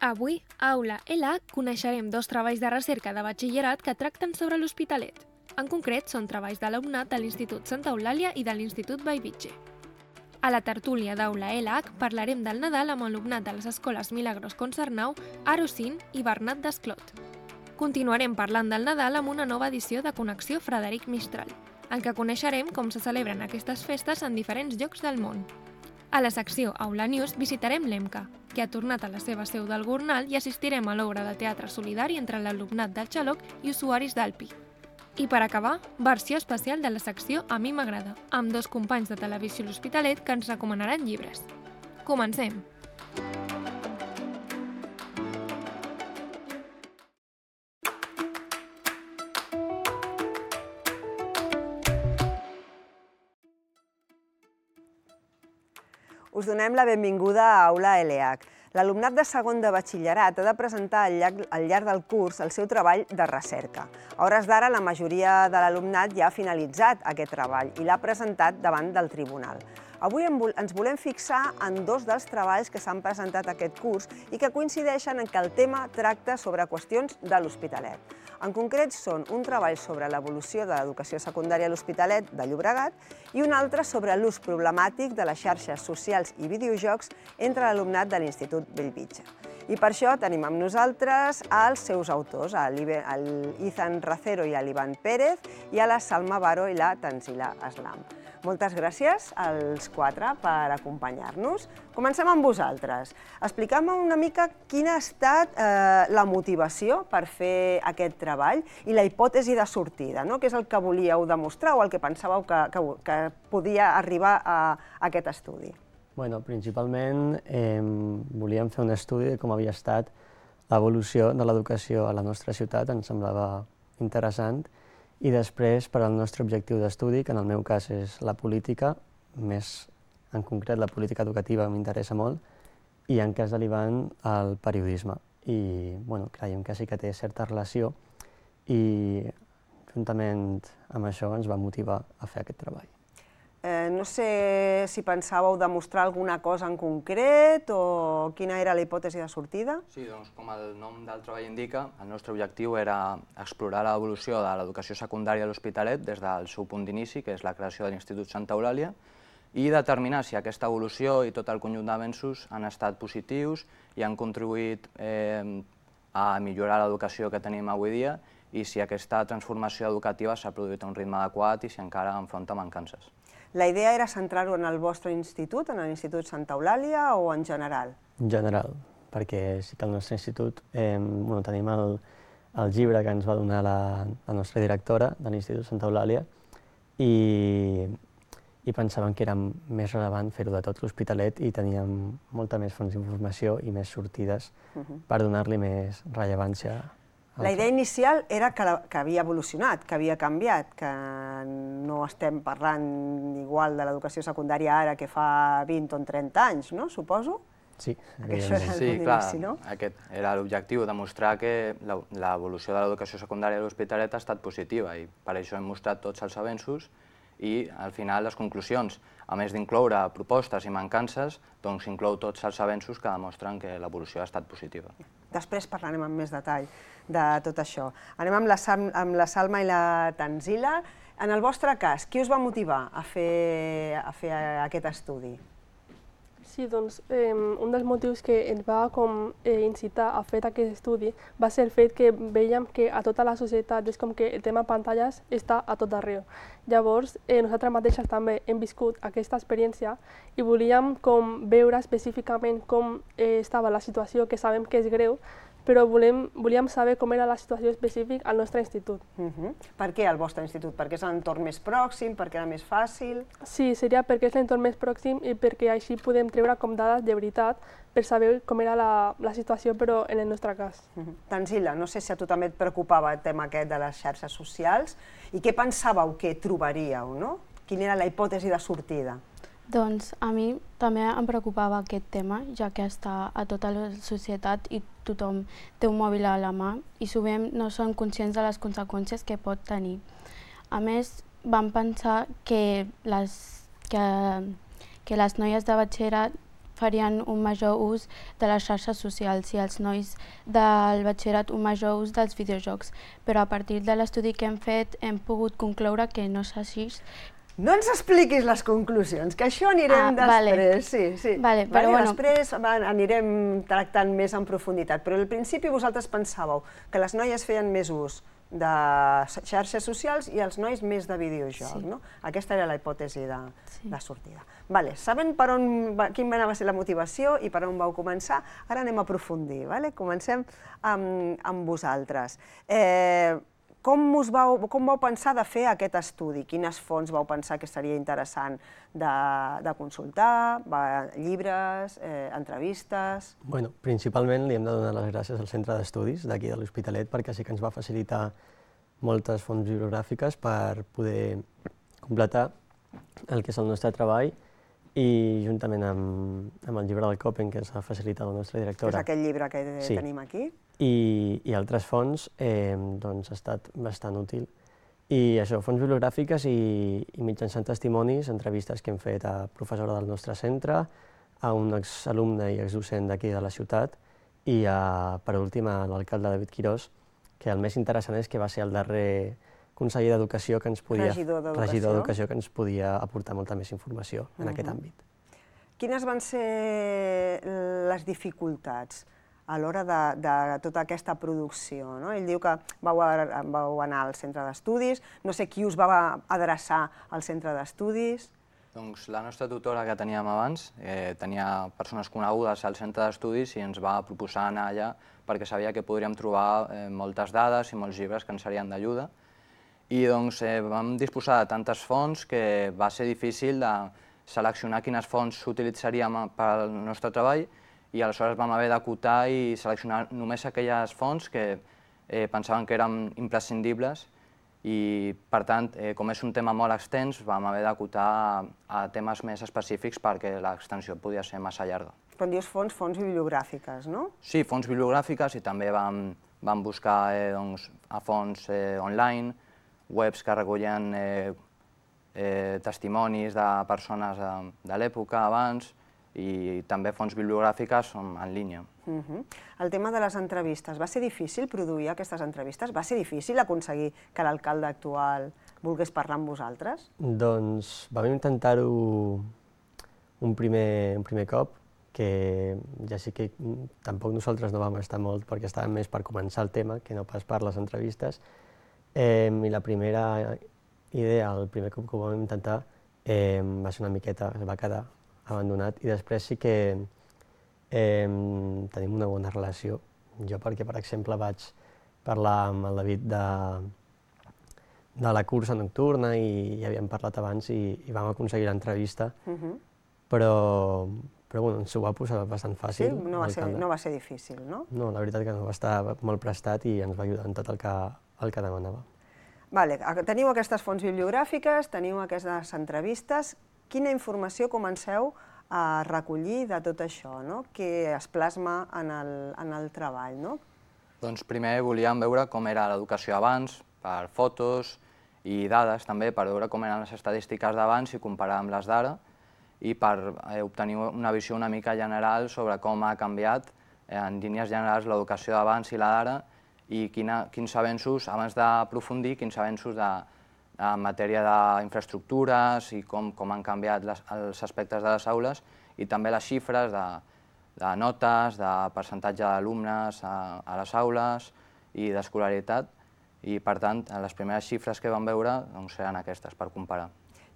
Avui, a Aula ELA, coneixerem dos treballs de recerca de batxillerat que tracten sobre l'Hospitalet. En concret, són treballs d'alumnat de l'Institut Santa Eulàlia i de l'Institut Bellvitge. A la tertúlia d'Aula ELAC parlarem del Nadal amb alumnat de les escoles Milagros Concernau, Arocín i Bernat d'Esclot. Continuarem parlant del Nadal amb una nova edició de Connexió Frederic Mistral, en què coneixerem com se celebren aquestes festes en diferents llocs del món. A la secció Aula News visitarem l'EMCA, que ha tornat a la seva seu del Gornal, i assistirem a l'obra de teatre solidari entre l'alumnat del Xaloc i usuaris d'Alpi. I per acabar, versió especial de la secció A mi m'agrada, amb dos companys de Televisió L'Hospitalet que ens recomanaran llibres. Comencem! Us donem la benvinguda a Aula ELEAC. L'alumnat de segon de batxillerat ha de presentar al llarg del curs el seu treball de recerca. A hores d'ara, la majoria de l'alumnat ja ha finalitzat aquest treball i l'ha presentat davant del tribunal. Avui ens volem fixar en dos dels treballs que s'han presentat aquest curs i que coincideixen en que el tema tracta sobre qüestions de l'Hospitalet. En concret, són un treball sobre l'evolució de l'educació secundària a l'Hospitalet de Llobregat i un altre sobre l'ús problemàtic de les xarxes socials i videojocs entre l'alumnat de l'Institut Bellvitge. I per això tenim amb nosaltres els seus autors, l'Izan Racero i l'Ivan Pérez, i a la Salma Baro i la Tanzila Aslam. Moltes gràcies als quatre per acompanyar-nos. Comencem amb vosaltres. Explica'm una mica quina ha estat la motivació per fer aquest treball i la hipòtesi de sortida, què és el que volíeu demostrar o el que pensàveu que podia arribar a aquest estudi. Principalment volíem fer un estudi de com havia estat l'evolució de l'educació a la nostra ciutat, ens semblava interessant, i després, per al nostre objectiu d'estudi, que en el meu cas és la política, més en concret la política educativa m'interessa molt, i en cas de l'Ivan, el periodisme. I creiem que sí que té certa relació i juntament amb això ens va motivar a fer aquest treball. No sé si pensàveu demostrar alguna cosa en concret o quina era la hipòtesi de sortida. Sí, doncs com el nom del treball indica, el nostre objectiu era explorar l'evolució de l'educació secundària a l'Hospitalet des del seu punt d'inici, que és la creació de l'Institut Santa Eulàlia, i determinar si aquesta evolució i tot el conjunt d'avenços han estat positius i han contribuït a millorar l'educació que tenim avui dia i si aquesta transformació educativa s'ha produït a un ritme adequat i si encara enfronta mancances. La idea era centrar-ho en el vostre institut, en l'Institut Santa Eulàlia, o en general? En general, perquè sí que al nostre institut tenim el llibre que ens va donar la nostra directora de l'Institut Santa Eulàlia i pensàvem que era més rellevant fer-ho de tot l'Hospitalet i teníem molta més fonts d'informació i més sortides per donar-li més rellevància. La idea inicial era que havia evolucionat, que havia canviat, que no estem parlant igual de l'educació secundària ara que fa 20 o 30 anys, no? Suposo? Sí, clar, aquest era l'objectiu, demostrar que l'evolució de l'educació secundària a l'Hospitalet ha estat positiva i per això hem mostrat tots els avenços i al final les conclusions, a més d'incloure propostes i mancances, doncs inclou tots els avenços que demostren que l'evolució ha estat positiva. Després parlarem amb més detall de tot això. Anem amb la Salma i la Tanzila. En el vostre cas, qui us va motivar a fer aquest estudi? Sí, doncs un dels motius que ens va incitar a fer aquest estudi va ser el fet que veiem que a tota la societat és com que el tema pantalles està a tot arreu. Llavors, nosaltres mateixes també hem viscut aquesta experiència i volíem veure específicament com estava la situació, que sabem que és greu, però volíem saber com era la situació específica al nostre institut. Per què al vostre institut? Perquè és l'entorn més pròxim, perquè era més fàcil? Sí, seria perquè és l'entorn més pròxim i perquè així podem treure dades de veritat per saber com era la situació, però en el nostre cas. Tanzila, no sé si a tu també et preocupava el tema aquest de les xarxes socials i què pensàveu que trobaríeu, no? Quina era la hipòtesi de sortida? Doncs a mi també em preocupava aquest tema, ja que està a tota la societat i tothom té un mòbil a la mà i sovint no són conscients de les conseqüències que pot tenir. A més, vam pensar que les noies de batxillerat farien un major ús de les xarxes socials i els nois del batxillerat un major ús dels videojocs. Però a partir de l'estudi que hem fet hem pogut concloure que no és així. No ens expliquis les conclusions, que això anirem després. Sí. Després anirem tractant més en profunditat, però al principi vosaltres pensàveu que les noies feien més ús de xarxes socials i els nois més de videojoc, no? Aquesta era la hipòtesi de sortida. Saben quina va ser la motivació i per on vau començar? Ara anem a aprofundir. Comencem amb vosaltres. Com vau pensar de fer aquest estudi? Quines fonts vau pensar que seria interessant de consultar? Llibres, entrevistes? Principalment li hem de donar les gràcies al Centre d'Estudis d'aquí de l'Hospitalet perquè sí que ens va facilitar moltes fonts bibliogràfiques per poder completar el que és el nostre treball i juntament amb el llibre del Copen que ens ha facilitat la nostra directora. És aquest llibre que tenim aquí? I altres fonts ha estat bastant útil. I això, fonts bibliogràfiques i mitjançant testimonis, entrevistes que hem fet a professora del nostre centre, a un exalumne i exdocent d'aquí de la ciutat i, per últim, a l'alcalde David Quirós, que el més interessant és que va ser el darrer conseller d'Educació que ens podia... Regidor d'Educació. Que ens podia aportar molta més informació en aquest àmbit. Quines van ser les dificultats a l'hora de tota aquesta producció? Ell diu que vau anar al centre d'estudis, no sé qui us va adreçar al centre d'estudis. Doncs la nostra tutora que teníem abans tenia persones conegudes al centre d'estudis i ens va proposar anar allà perquè sabia que podríem trobar moltes dades i molts llibres que ens serien d'ajuda. I doncs vam disposar de tantes fonts que va ser difícil de seleccionar quines fonts utilitzaríem pel nostre treball i aleshores vam haver d'acotar i seleccionar només aquelles fonts que pensaven que eren imprescindibles i, per tant, com és un tema molt extens, vam haver d'acotar a temes més específics perquè l'extensió podia ser massa llarga. Quan dius fonts, fonts bibliogràfiques, no? Sí, fonts bibliogràfiques i també vam buscar a fonts online, webs que recullen testimonis de persones de l'època abans i també fonts bibliogràfiques en línia. El tema de les entrevistes, va ser difícil produir aquestes entrevistes? Va ser difícil aconseguir que l'alcalde actual volgués parlar amb vosaltres? Doncs vam intentar-ho un primer cop, que ja sí que tampoc nosaltres no vam estar molt perquè estàvem més per començar el tema que no pas per les entrevistes. I la primera idea, el primer cop que ho vam intentar, va ser una miqueta, es va quedar abandonat i després sí que tenim una bona relació. Jo perquè, per exemple, vaig parlar amb el David de la cursa nocturna i ja havíem parlat abans i vam aconseguir l'entrevista, però ens ho va posar bastant fàcil. Sí, no va ser difícil, no? No, la veritat que no, va estar molt prestat i ens va ajudar en tot el que demanava. Teniu aquestes fonts bibliogràfiques, teniu aquestes entrevistes. Quina informació comenceu a recollir de tot això, que es plasma en el treball? Doncs primer volíem veure com era l'educació abans, per fotos i dades també, per veure com eren les estadístiques d'abans i comparar amb les d'ara, i per obtenir una visió una mica general sobre com ha canviat en línies generals l'educació d'abans i la d'ara i quins avenços, abans d'aprofundir, quins avenços en matèria d'infraestructures i com han canviat els aspectes de les aules i també les xifres de notes, de percentatge d'alumnes a les aules i d'escolaritat. I, per tant, les primeres xifres que vam veure seran aquestes, per comparar.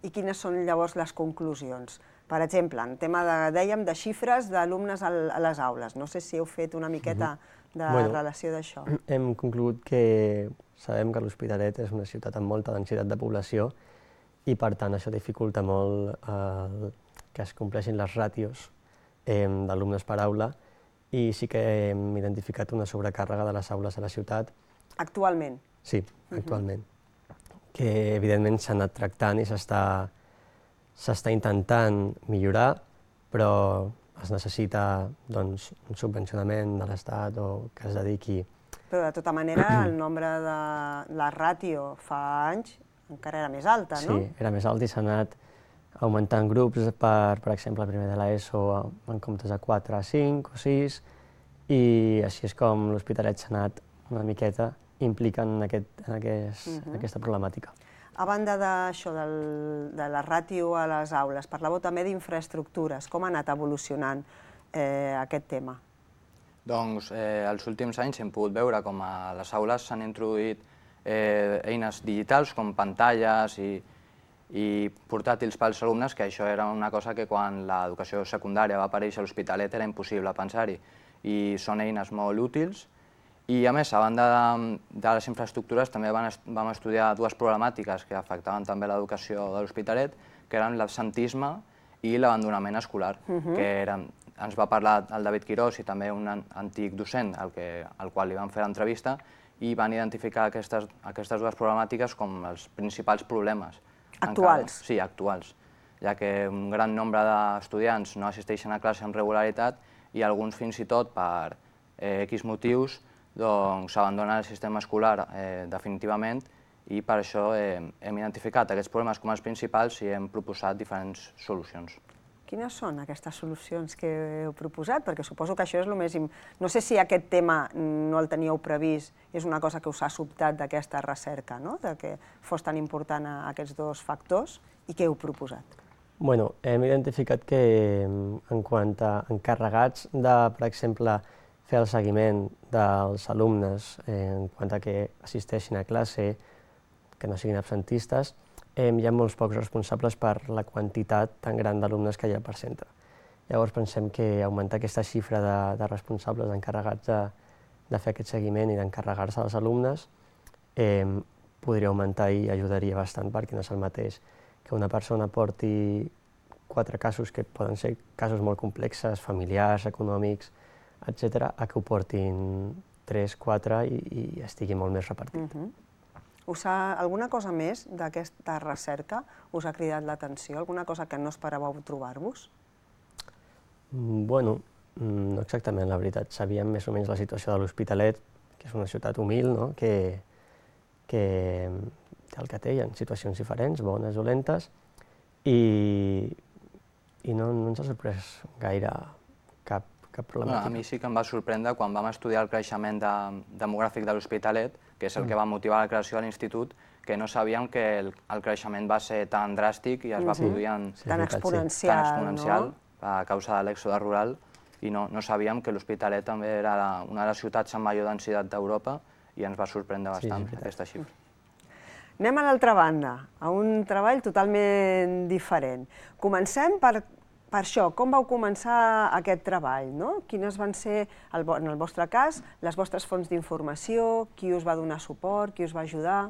I quines són llavors les conclusions? Per exemple, en tema, dèiem, de xifres d'alumnes a les aules. No sé si heu fet una miqueta de relació d'això. Hem conclogut que sabem que l'Hospitalet és una ciutat amb molta densitat de població i, per tant, això dificulta molt que es compleixin les ràtios d'alumnes per aula i sí que hem identificat una sobrecàrrega de les aules a la ciutat. Actualment? Sí, actualment. Que evidentment s'ha anat tractant i s'està intentant millorar, però es necessita un subvencionament de l'Estat o que es dediqui... Però de tota manera el nombre de la ràtio fa anys encara era més alta, no? Sí, era més alt i s'ha anat augmentant grups per exemple, primer de l'ESO en comptes de 4 a 5 o 6, i així és com l'Hospitalet s'ha anat una miqueta implicant en aquesta problemàtica. A banda d'això, de la ràtio a les aules, parlàveu també d'infraestructures. Com ha anat evolucionant aquest tema? Doncs els últims anys hem pogut veure com a les aules s'han introduït eines digitals com pantalles i portàtils pels alumnes, que això era una cosa que quan l'educació secundària va aparèixer a l'Hospitalet era impossible pensar-hi, i són eines molt útils. I a més, a banda de les infraestructures, també vam estudiar dues problemàtiques que afectaven també l'educació de l'Hospitalet, que eren l'absentisme i l'abandonament escolar, que ens va parlar el David Quirós i també un antic docent al qual li vam fer l'entrevista, i van identificar aquestes dues problemàtiques com els principals problemes. Actuals? Sí, actuals, ja que un gran nombre d'estudiants no assisteixen a classe amb regularitat i alguns fins i tot per X motius s'abandonen el sistema escolar definitivament, i per això hem identificat aquests problemes com els principals i hem proposat diferents solucions. Quines són aquestes solucions que heu proposat? Perquè suposo que això és el més... No sé si aquest tema no el teníeu previst, és una cosa que us ha sobtat d'aquesta recerca, de que fos tan important aquests dos factors, i què heu proposat? Bueno, hem identificat que en quant a encarregats de, per exemple, fer el seguiment dels alumnes en quant a que assisteixin a classe, que no siguin absentistes, hi ha molts pocs responsables per la quantitat tan gran d'alumnes que hi ha per centre. Llavors pensem que augmentar aquesta xifra de responsables encarregats de fer aquest seguiment i d'encarregar-se dels alumnes podria augmentar i ajudaria bastant, perquè no és el mateix que una persona porti 4 casos que poden ser casos molt complexes, familiars, econòmics, etc., a que ho portin 3, 4 i estigui molt més repartit. Alguna cosa més d'aquesta recerca us ha cridat l'atenció? Alguna cosa que no esperàveu trobar-vos? Bueno, no exactament, la veritat. Sabíem més o menys la situació de l'Hospitalet, que és una ciutat humil, que té el que té, hi ha situacions diferents, bones, dolentes, i no ens ha sorprès gaire cap problemàtica. A mi sí que em va sorprendre quan vam estudiar el creixement demogràfic de l'Hospitalet, que és el que va motivar la creació de l'institut, que no sabíem que el creixement va ser tan dràstic i es va produir tan exponencial a causa de l'èxode rural, i no sabíem que l'Hospitalet també era una de les ciutats amb major densitat d'Europa, i ens va sorprendre bastant aquesta xifra. Anem a l'altra banda, a un treball totalment diferent. Comencem per això, com vau començar aquest treball? Quines van ser, en el vostre cas, les vostres fonts d'informació, qui us va donar suport, qui us va ajudar?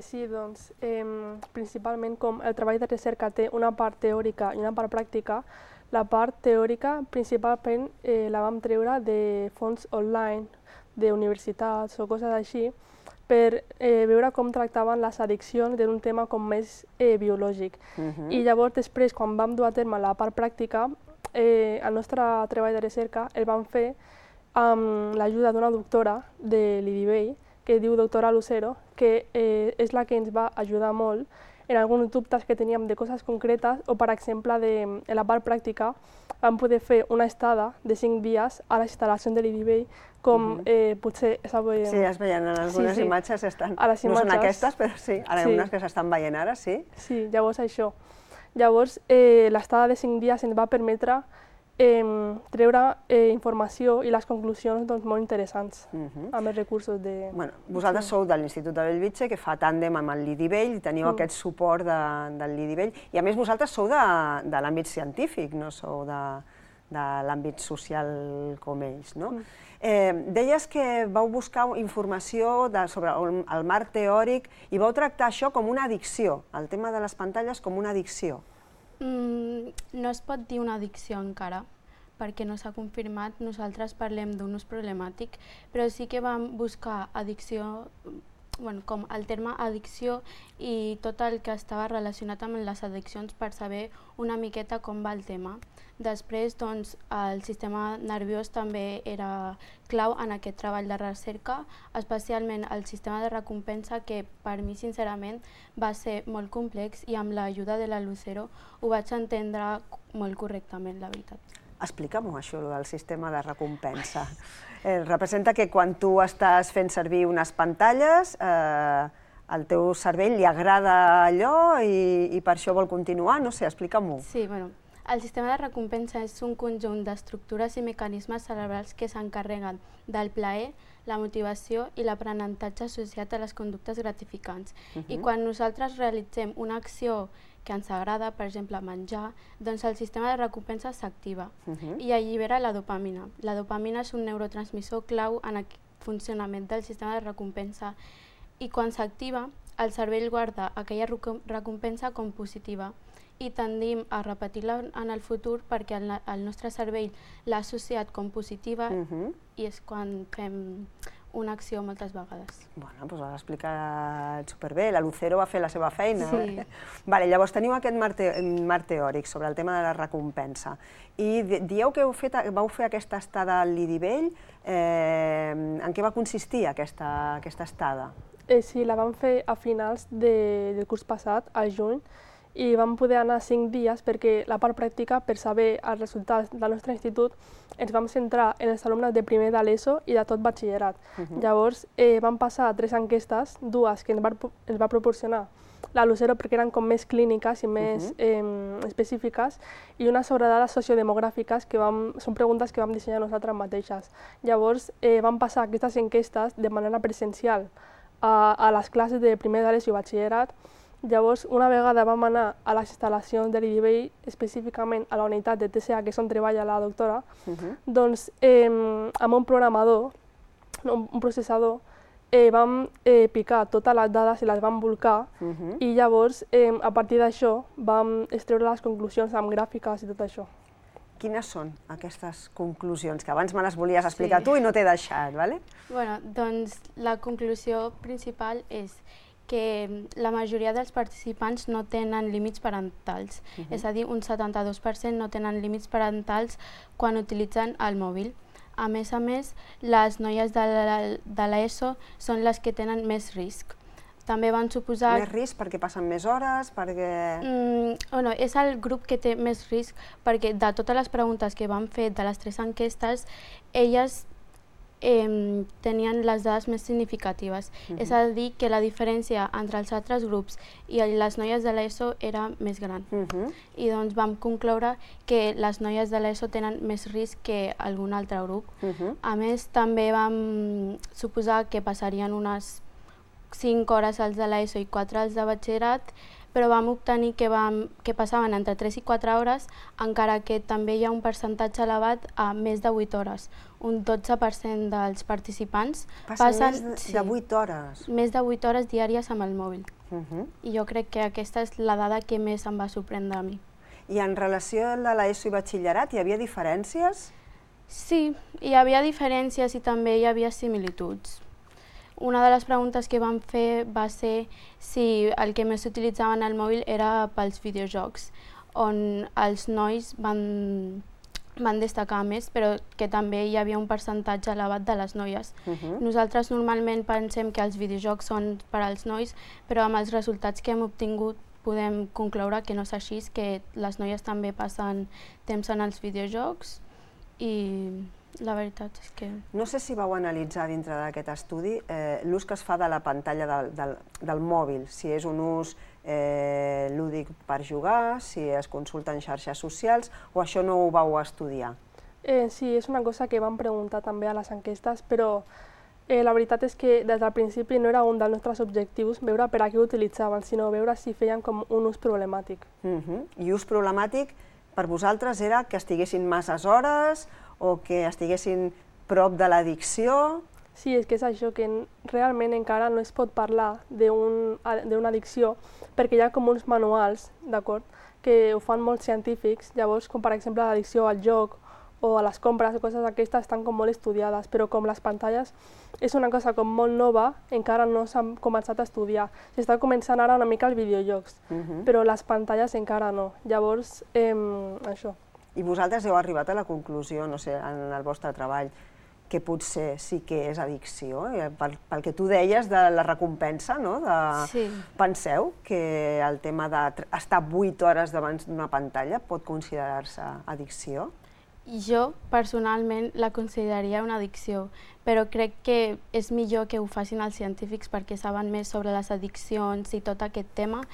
Sí, doncs, principalment com el treball de recerca té una part teòrica i una part pràctica, la part teòrica principalment la vam treure de fonts online, d'universitats o coses així, per veure com tractaven les addiccions d'un tema com més biològic. I llavors després, quan vam dur a terme la part pràctica, el nostre treball de recerca el vam fer amb l'ajuda d'una doctora de l'IDIVEI, que es diu doctora Lucero, que és la que ens va ajudar molt en alguns dubtes que teníem de coses concretes, o per exemple, en la part pràctica vam poder fer una estada de 5 dies a les instal·lacions de l'IDIVEI, com potser... Sí, es veien en algunes imatges, no són aquestes, però sí, hi ha unes que s'estan veient ara, sí. Sí, llavors això. Llavors, l'estada de 5 dies ens va permetre treure informació i les conclusions molt interessants amb els recursos de... Vosaltres sou de l'Institut de Bellvitge, que fa tàndem amb el l'IDIVEI, i teniu aquest suport del l'IDIVEI, i a més vosaltres sou de l'àmbit científic, no sou de l'àmbit social com ells, no? Deies que vau buscar informació sobre el marc teòric i vau tractar això com una addicció, el tema de les pantalles com una addicció. No es pot dir una addicció encara, perquè no s'ha confirmat. Nosaltres parlem d'un ús problemàtic, però sí que vam buscar addicció com el terme addicció i tot el que estava relacionat amb les addiccions per saber una miqueta com va el tema. Després, doncs, el sistema nerviós també era clau en aquest treball de recerca, especialment el sistema de recompensa, que per mi, sincerament, va ser molt complex i amb l'ajuda de la Lucero ho vaig entendre molt correctament, la veritat. Explica'm-ho, això, del sistema de recompensa. Representa que quan tu estàs fent servir unes pantalles, al teu cervell li agrada allò i per això vol continuar, no sé, explica-m'ho. Sí, bueno, el sistema de recompensa és un conjunt d'estructures i mecanismes cerebrals que s'encarreguen del plaer, la motivació i l'aprenentatge associat a les conductes gratificants. I quan nosaltres realitzem una acció que ens agrada, per exemple, menjar, doncs el sistema de recompensa s'activa i allibera la dopamina. La dopamina és un neurotransmissor clau en el funcionament del sistema de recompensa i quan s'activa, el cervell guarda aquella recompensa com positiva i tendim a repetir-la en el futur perquè el nostre cervell l'ha associat com positiva i és quan fem una acció moltes vegades. Bueno, doncs ho has explicat superbé, la Lucero va fer la seva feina. Sí. Llavors teniu aquest marc teòric sobre el tema de la recompensa i dieu que vau fer aquesta estada al Lidivell. En què va consistir aquesta estada? Sí, la vam fer a finals del curs passat, al juny, i vam poder anar 5 dies perquè la part pràctica, per saber els resultats del nostre institut, ens vam centrar en els alumnes de primer de l'ESO i de tot batxillerat. Llavors vam passar 3 enquestes, 2 que ens va proporcionar la Lucero perquè eren com més clíniques i més específiques, i una sobre dades sociodemogràfiques que són preguntes que vam dissenyar nosaltres mateixes. Llavors vam passar aquestes enquestes de manera presencial a les classes de primer de l'ESO i batxillerat. Llavors, una vegada vam anar a les instal·lacions de l'Idivell, específicament a la unitat de TCA, que és on treballa la doctora, doncs amb un programador, un processador, vam picar totes les dades i les vam volcar i llavors, a partir d'això, vam extreure les conclusions amb gràfiques i tot això. Quines són aquestes conclusions? Que abans me les volies explicar tu i no t'he deixat, ¿vale? Bueno, doncs la conclusió principal és que la majoria dels participants no tenen límits parentals, és a dir, un 72% no tenen límits parentals quan utilitzen el mòbil. A més, les noies de l'ESO són les que tenen més risc. També van suposar... Més risc perquè passen més hores, perquè... No, és el grup que té més risc perquè de totes les preguntes que vam fer de les 3 enquestes, elles tenien les dades més significatives. És a dir, que la diferència entre els altres grups i les noies de l'ESO era més gran. I doncs vam concloure que les noies de l'ESO tenen més risc que algun altre grup. A més, també vam suposar que passarien unes 5 hores als de l'ESO i 4 als de batxillerat, però vam obtenir que passaven entre 3 i 4 hores, encara que també hi ha un percentatge elevat a més de 8 hores. Un 12% dels participants passen més de 8 hores. Més de 8 hores diàries amb el mòbil. I jo crec que aquesta és la dada que més em va sorprendre a mi. I en relació a l'ESO i batxillerat, hi havia diferències? Sí, hi havia diferències i també hi havia similituds. Una de les preguntes que vam fer va ser si el que més utilitzaven el mòbil era pels videojocs, on els nois van destacar més, però que també hi havia un percentatge elevat de les noies. Nosaltres normalment pensem que els videojocs són per als nois, però amb els resultats que hem obtingut podem concloure que no és així, que les noies també passen temps en els videojocs i la veritat és que... No sé si vau analitzar dintre d'aquest estudi l'ús que es fa de la pantalla del mòbil, si és un ús lúdic per jugar, si es consulten xarxes socials, o això no ho vau estudiar? Sí, és una cosa que vam preguntar també a les enquestes, però la veritat és que des del principi no era un dels nostres objectius veure per a què ho utilitzaven, sinó veure si feien com un ús problemàtic. I ús problemàtic per vosaltres era que estiguessin masses hores o que estiguessin prop de l'addicció? Sí, és que és això, que realment encara no es pot parlar d'una addicció perquè hi ha com uns manuals, d'acord, que ho fan molts científics, llavors com per exemple l'addicció al joc o a les compres o coses d'aquestes estan com molt estudiades, però com les pantalles és una cosa com molt nova, encara no s'han començat a estudiar. S'està començant ara una mica els videojocs, però les pantalles encara no. Llavors, això. I vosaltres heu arribat a la conclusió, no sé, en el vostre treball, que potser sí que és addicció, pel que tu deies de la recompensa, no? Sí. Penseu que el tema d'estar 8 hores davant d'una pantalla pot considerar-se addicció? Jo, personalment, la consideraria una addicció, però crec que és millor que ho facin els científics perquè saben més sobre les addiccions i tot aquest tema,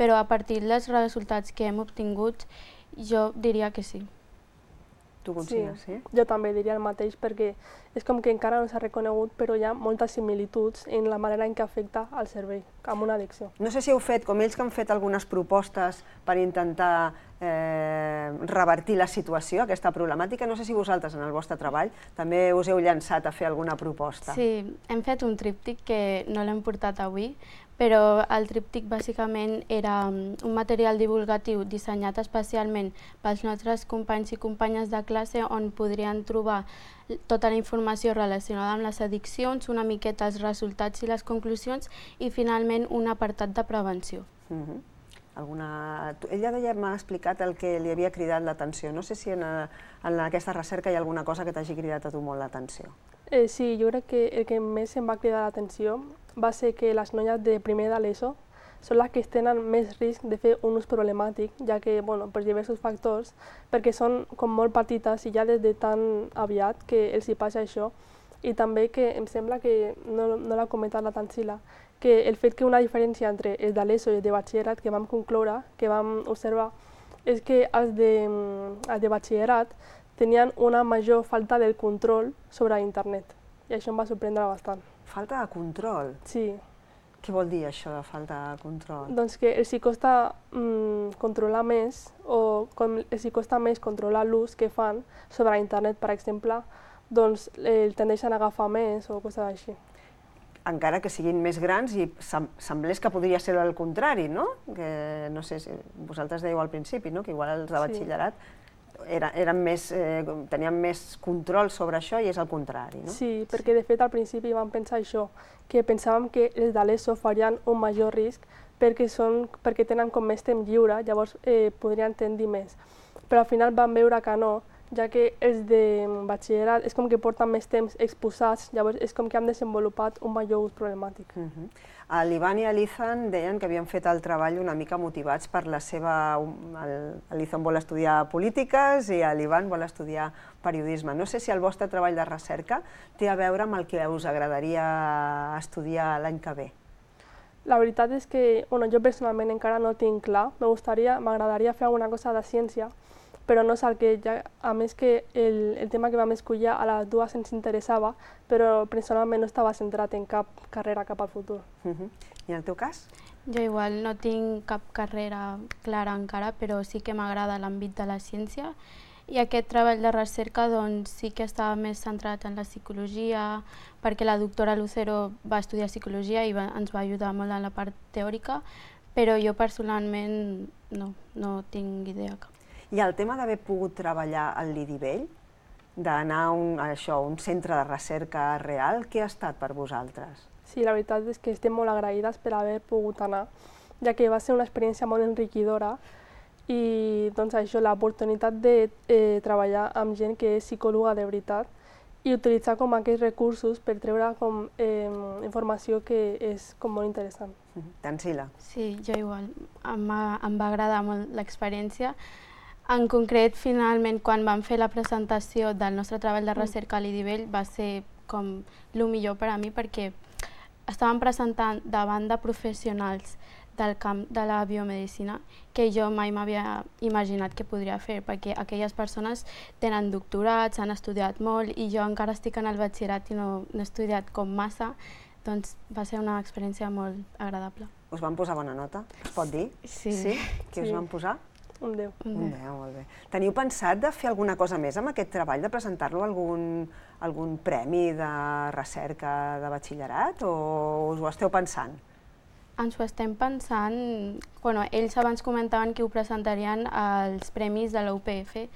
però a partir dels resultats que hem obtingut, jo diria que sí. Tu consideres, sí? Jo també diria el mateix, perquè és com que encara no s'ha reconegut, però hi ha moltes similituds en la manera en què afecta al cervell, amb una addicció. No sé si heu fet, com ells que han fet algunes propostes per intentar revertir la situació, aquesta problemàtica, no sé si vosaltres en el vostre treball també us heu llançat a fer alguna proposta. Sí, hem fet un tríptic que no l'hem portat avui, però el tríptic bàsicament era un material divulgatiu dissenyat especialment pels nostres companys i companyes de classe on podrien trobar tota la informació relacionada amb les addiccions, una miqueta els resultats i les conclusions i finalment un apartat de prevenció. Ella ja m'ha explicat el que li havia cridat l'atenció. No sé si en aquesta recerca hi ha alguna cosa que t'hagi cridat a tu molt l'atenció. Sí, jo crec que el que més em va cridar l'atenció va ser que les noies de primer de l'ESO són les que tenen més risc de fer un ús problemàtic, ja que, per diversos factors, perquè són com molt petites i ja des de tan aviat que els hi passa això. I també que em sembla que, no l'ha comentat la Tansila, que el fet que una diferència entre els de l'ESO i els de batxillerat que vam concloure, que vam observar, és que els de batxillerat tenien una major falta de control sobre internet. I això em va sorprendre bastant. Falta de control? Sí. Què vol dir això de falta de control? Doncs que els hi costa controlar més, o els hi costa més controlar l'ús que fan sobre internet, per exemple, doncs el tendeixen a agafar més o coses així. Encara que siguin més grans i semblés que podria ser el contrari, no? Que no sé si vosaltres dèieu al principi, no? Que igual els de batxillerat tenien més control sobre això i és el contrari, no? Sí, perquè de fet al principi vam pensar això, que pensàvem que els de l'ESO farien un major risc perquè tenen com més temps lliure, llavors podrien tendir més. Però al final vam veure que no, ja que els de batxillerat és com que porten més temps exposats, llavors és com que han desenvolupat un major ús problemàtic. L'Ivan i l'Ethan deien que havien fet el treball una mica motivats per la seva... L'Ethan vol estudiar polítiques i l'Ivan vol estudiar periodisme. No sé si el vostre treball de recerca té a veure amb el que us agradaria estudiar l'any que ve. La veritat és que jo personalment encara no tinc clar. M'agradaria fer alguna cosa de ciència, però no és el que, a més que el tema que vam escollir a les dues ens interessava, però personalment no estava centrat en cap carrera cap al futur. I en el teu cas? Jo igual no tinc cap carrera clara encara, però sí que m'agrada l'àmbit de la ciència i aquest treball de recerca doncs, sí que estava més centrat en la psicologia, perquè la doctora Lucero va estudiar psicologia i ens va ajudar molt en la part teòrica, però jo personalment no tinc idea cap. I el tema d'haver pogut treballar al Lidivell, d'anar a un centre de recerca real, què ha estat per vosaltres? Sí, la veritat és que estem molt agraïdes per haver pogut anar, ja que va ser una experiència molt enriquidora i doncs això, l'oportunitat de treballar amb gent que és psicòloga de veritat i utilitzar com aquests recursos per treure com informació que és com molt interessant. Tansila? Sí, jo igual. Em va agradar molt l'experiència. En concret, finalment, quan vam fer la presentació del nostre treball de recerca a l'Idivell va ser com el millor per a mi perquè estàvem presentant davant de professionals del camp de la biomedicina que jo mai m'havia imaginat que podria fer, perquè aquelles persones tenen doctorats, han estudiat molt i jo encara estic en el batxillerat i no he estudiat com massa, doncs va ser una experiència molt agradable. Us van posar bona nota? Es pot dir? Sí. Què us van posar? Un 10. Un 10, molt bé. Teniu pensat de fer alguna cosa més amb aquest treball, de presentar-lo a algun premi de recerca de batxillerat o us ho esteu pensant? Ens ho estem pensant. Ells abans comentaven que ho presentarien als premis de la UPF,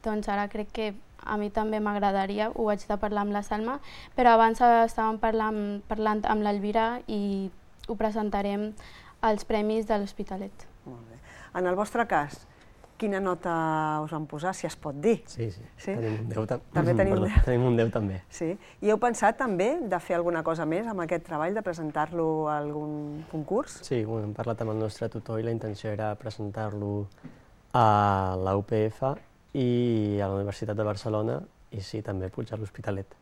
doncs ara crec que a mi també m'agradaria, ho vaig de parlar amb la Salma, però abans estàvem parlant amb l'Elvira i ho presentarem als premis de l'Hospitalet. Molt bé. En el vostre cas, quina nota us van posar, si es pot dir? Sí, tenim un 10 també. També tenim un 10. Tenim un 10 també. Sí. I heu pensat també de fer alguna cosa més amb aquest treball, de presentar-lo a algun concurs? Sí, hem parlat amb el nostre tutor i la intenció era presentar-lo a la UPF i a la Universitat de Barcelona i sí, també pujar a l'Hospitalet.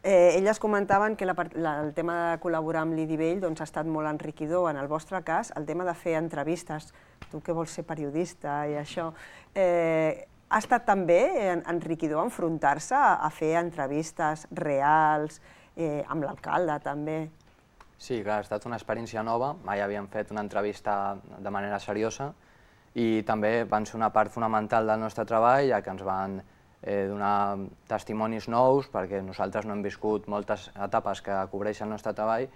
Elles comentaven que el tema de col·laborar amb l'IDIVELL ha estat molt enriquidor. En el vostre cas, el tema de fer entrevistes, tu que vols ser periodista i això, ha estat també enriquidor enfrontar-se a fer entrevistes reals, amb l'alcalde també. Sí, clar, ha estat una experiència nova, mai havíem fet una entrevista de manera seriosa i també van ser una part fonamental del nostre treball, ja que ens van donar testimonis nous, perquè nosaltres no hem viscut moltes etapes que cobreix el nostre treball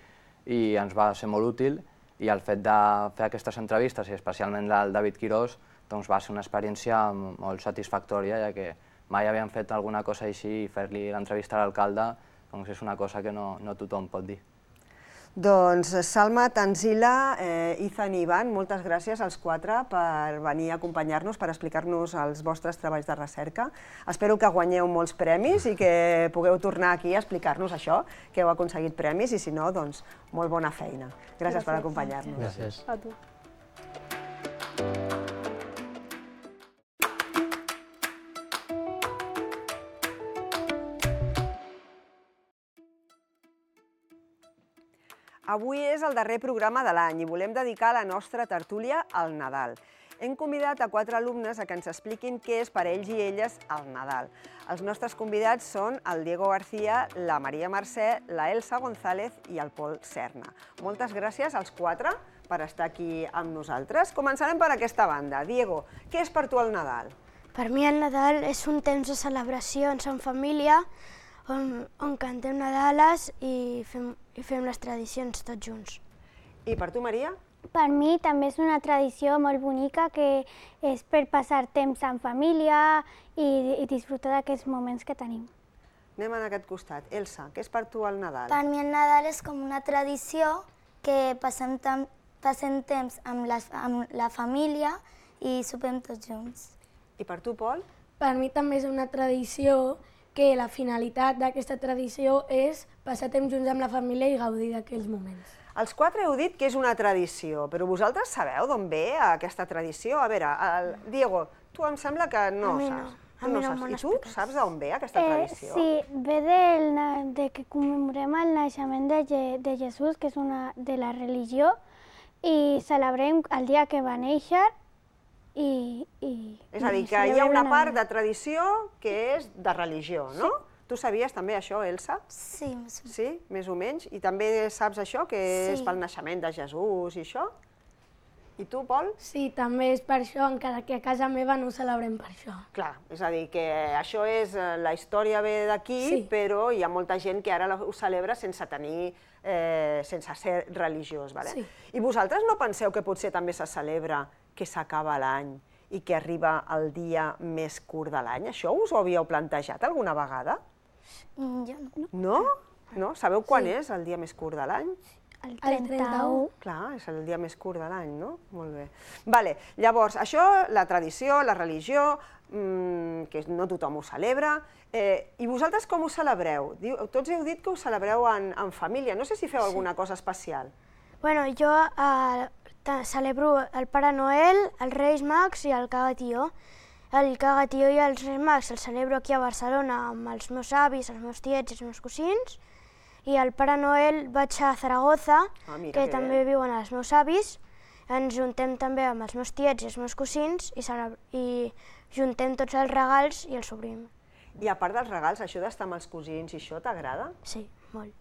i ens va ser molt útil, i el fet de fer aquestes entrevistes, i especialment del David Quirós, doncs va ser una experiència molt satisfactòria, ja que mai havíem fet alguna cosa així i fer-li l'entrevista a l'alcalde doncs és una cosa que no tothom pot dir. Doncs Salma, Tanzila, Ethan i Ivan, moltes gràcies als quatre per venir a acompanyar-nos, per explicar-nos els vostres treballs de recerca. Espero que guanyeu molts premis i que pugueu tornar aquí a explicar-nos això, que heu aconseguit premis, i si no, doncs molt bona feina. Gràcies per acompanyar-nos. Gràcies. A tu. Avui és el darrer programa de l'any i volem dedicar la nostra tertúlia al Nadal. Hem convidat a 4 alumnes a que ens expliquin què és per ells i elles el Nadal. Els nostres convidats són el Diego García, la Maria Mercè, la Elsa González i el Pol Serna. Moltes gràcies als 4 per estar aquí amb nosaltres. Començarem per aquesta banda. Diego, què és per tu el Nadal? Per mi el Nadal és un temps de celebracions en família, on cantem Nadales i fem les tradicions tots junts. I per tu, Maria? Per mi també és una tradició molt bonica que és per passar temps en família i disfrutar d'aquests moments que tenim. Anem en aquest costat. Elsa, què és per tu el Nadal? Per mi el Nadal és com una tradició que passem temps amb la família i sopem tots junts. I per tu, Pol? Per mi també és una tradició que la finalitat d'aquesta tradició és passar temps junts amb la família i gaudir d'aquells moments. Els 4 heu dit que és una tradició, però vosaltres sabeu d'on ve aquesta tradició? A veure, Diego, tu em sembla que no saps. I tu saps d'on ve aquesta tradició? Sí, ve de que commemorem el naixement de Jesús, que és de la religió, i celebrem el dia que va néixer. És a dir, que hi ha una part de tradició que és de religió, no? Tu sabies també això, Elsa? Sí, més o menys. Sí, més o menys? I també saps això, que és pel naixement de Jesús i això? I tu, Pol? Sí, també és per això, encara que a casa meva no ho celebrem per això. Clar, és a dir, que això és, la història ve d'aquí, però hi ha molta gent que ara ho celebra sense ser religiós. I vosaltres no penseu que potser també se celebra que s'acaba l'any i que arriba el dia més curt de l'any? Això us ho havíeu plantejat alguna vegada? Jo no. No? No? Sabeu quan és el dia més curt de l'any? El 31. Clar, és el dia més curt de l'any, no? Molt bé. Vale, llavors, això, la tradició, la religió, que no tothom ho celebra, i vosaltres com ho celebreu? Tots heu dit que ho celebreu en família, no sé si feu alguna cosa especial. Bueno, jo celebro el Pare Noel, els Reis Mags i el Cagatió. El Cagatió i els Reis Mags els celebro aquí a Barcelona amb els meus avis, els meus tiets i els meus cosins. I el Pare Noel vaig a Zaragoza, que també viuen els meus avis. Ens juntem també amb els meus tiets i els meus cosins i juntem tots els regals i els obrim. I a part dels regals, això d'estar amb els cosins i això t'agrada? Sí, molt.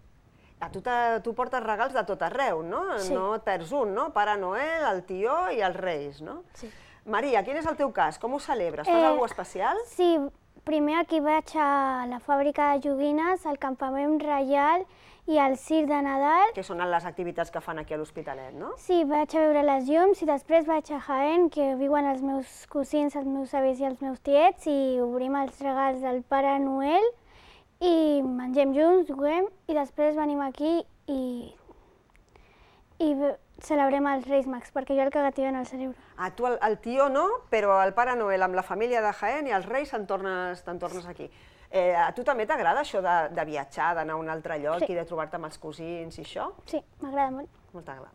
Tu portes regals de tot arreu, no? Sí. No et perds un, no? Pare Noel, el tió i els Reis, no? Sí. Maria, quin és el teu cas? Com ho celebres? Fas alguna cosa especial? Sí, primer aquí vaig a la fàbrica de joguines, al campament reial, i al circ de Nadal. Que són les activitats que fan aquí a l'Hospitalet, no? Sí, vaig a veure les llums i després vaig a Jaén, que viuen els meus cosins, els meus avis i els meus tiets, i obrim els regals del Pare Noel i mengem junts, juguem, i després venim aquí i celebrem els Reis Mags, perquè jo el cagatiu no el celebro. Ah, tu el tio no, però el Pare Noel amb la família de Jaén i els Reis te'n tornes aquí. A tu també t'agrada això de viatjar, d'anar a un altre lloc i de trobar-te amb els cosins i això? Sí, m'agrada molt.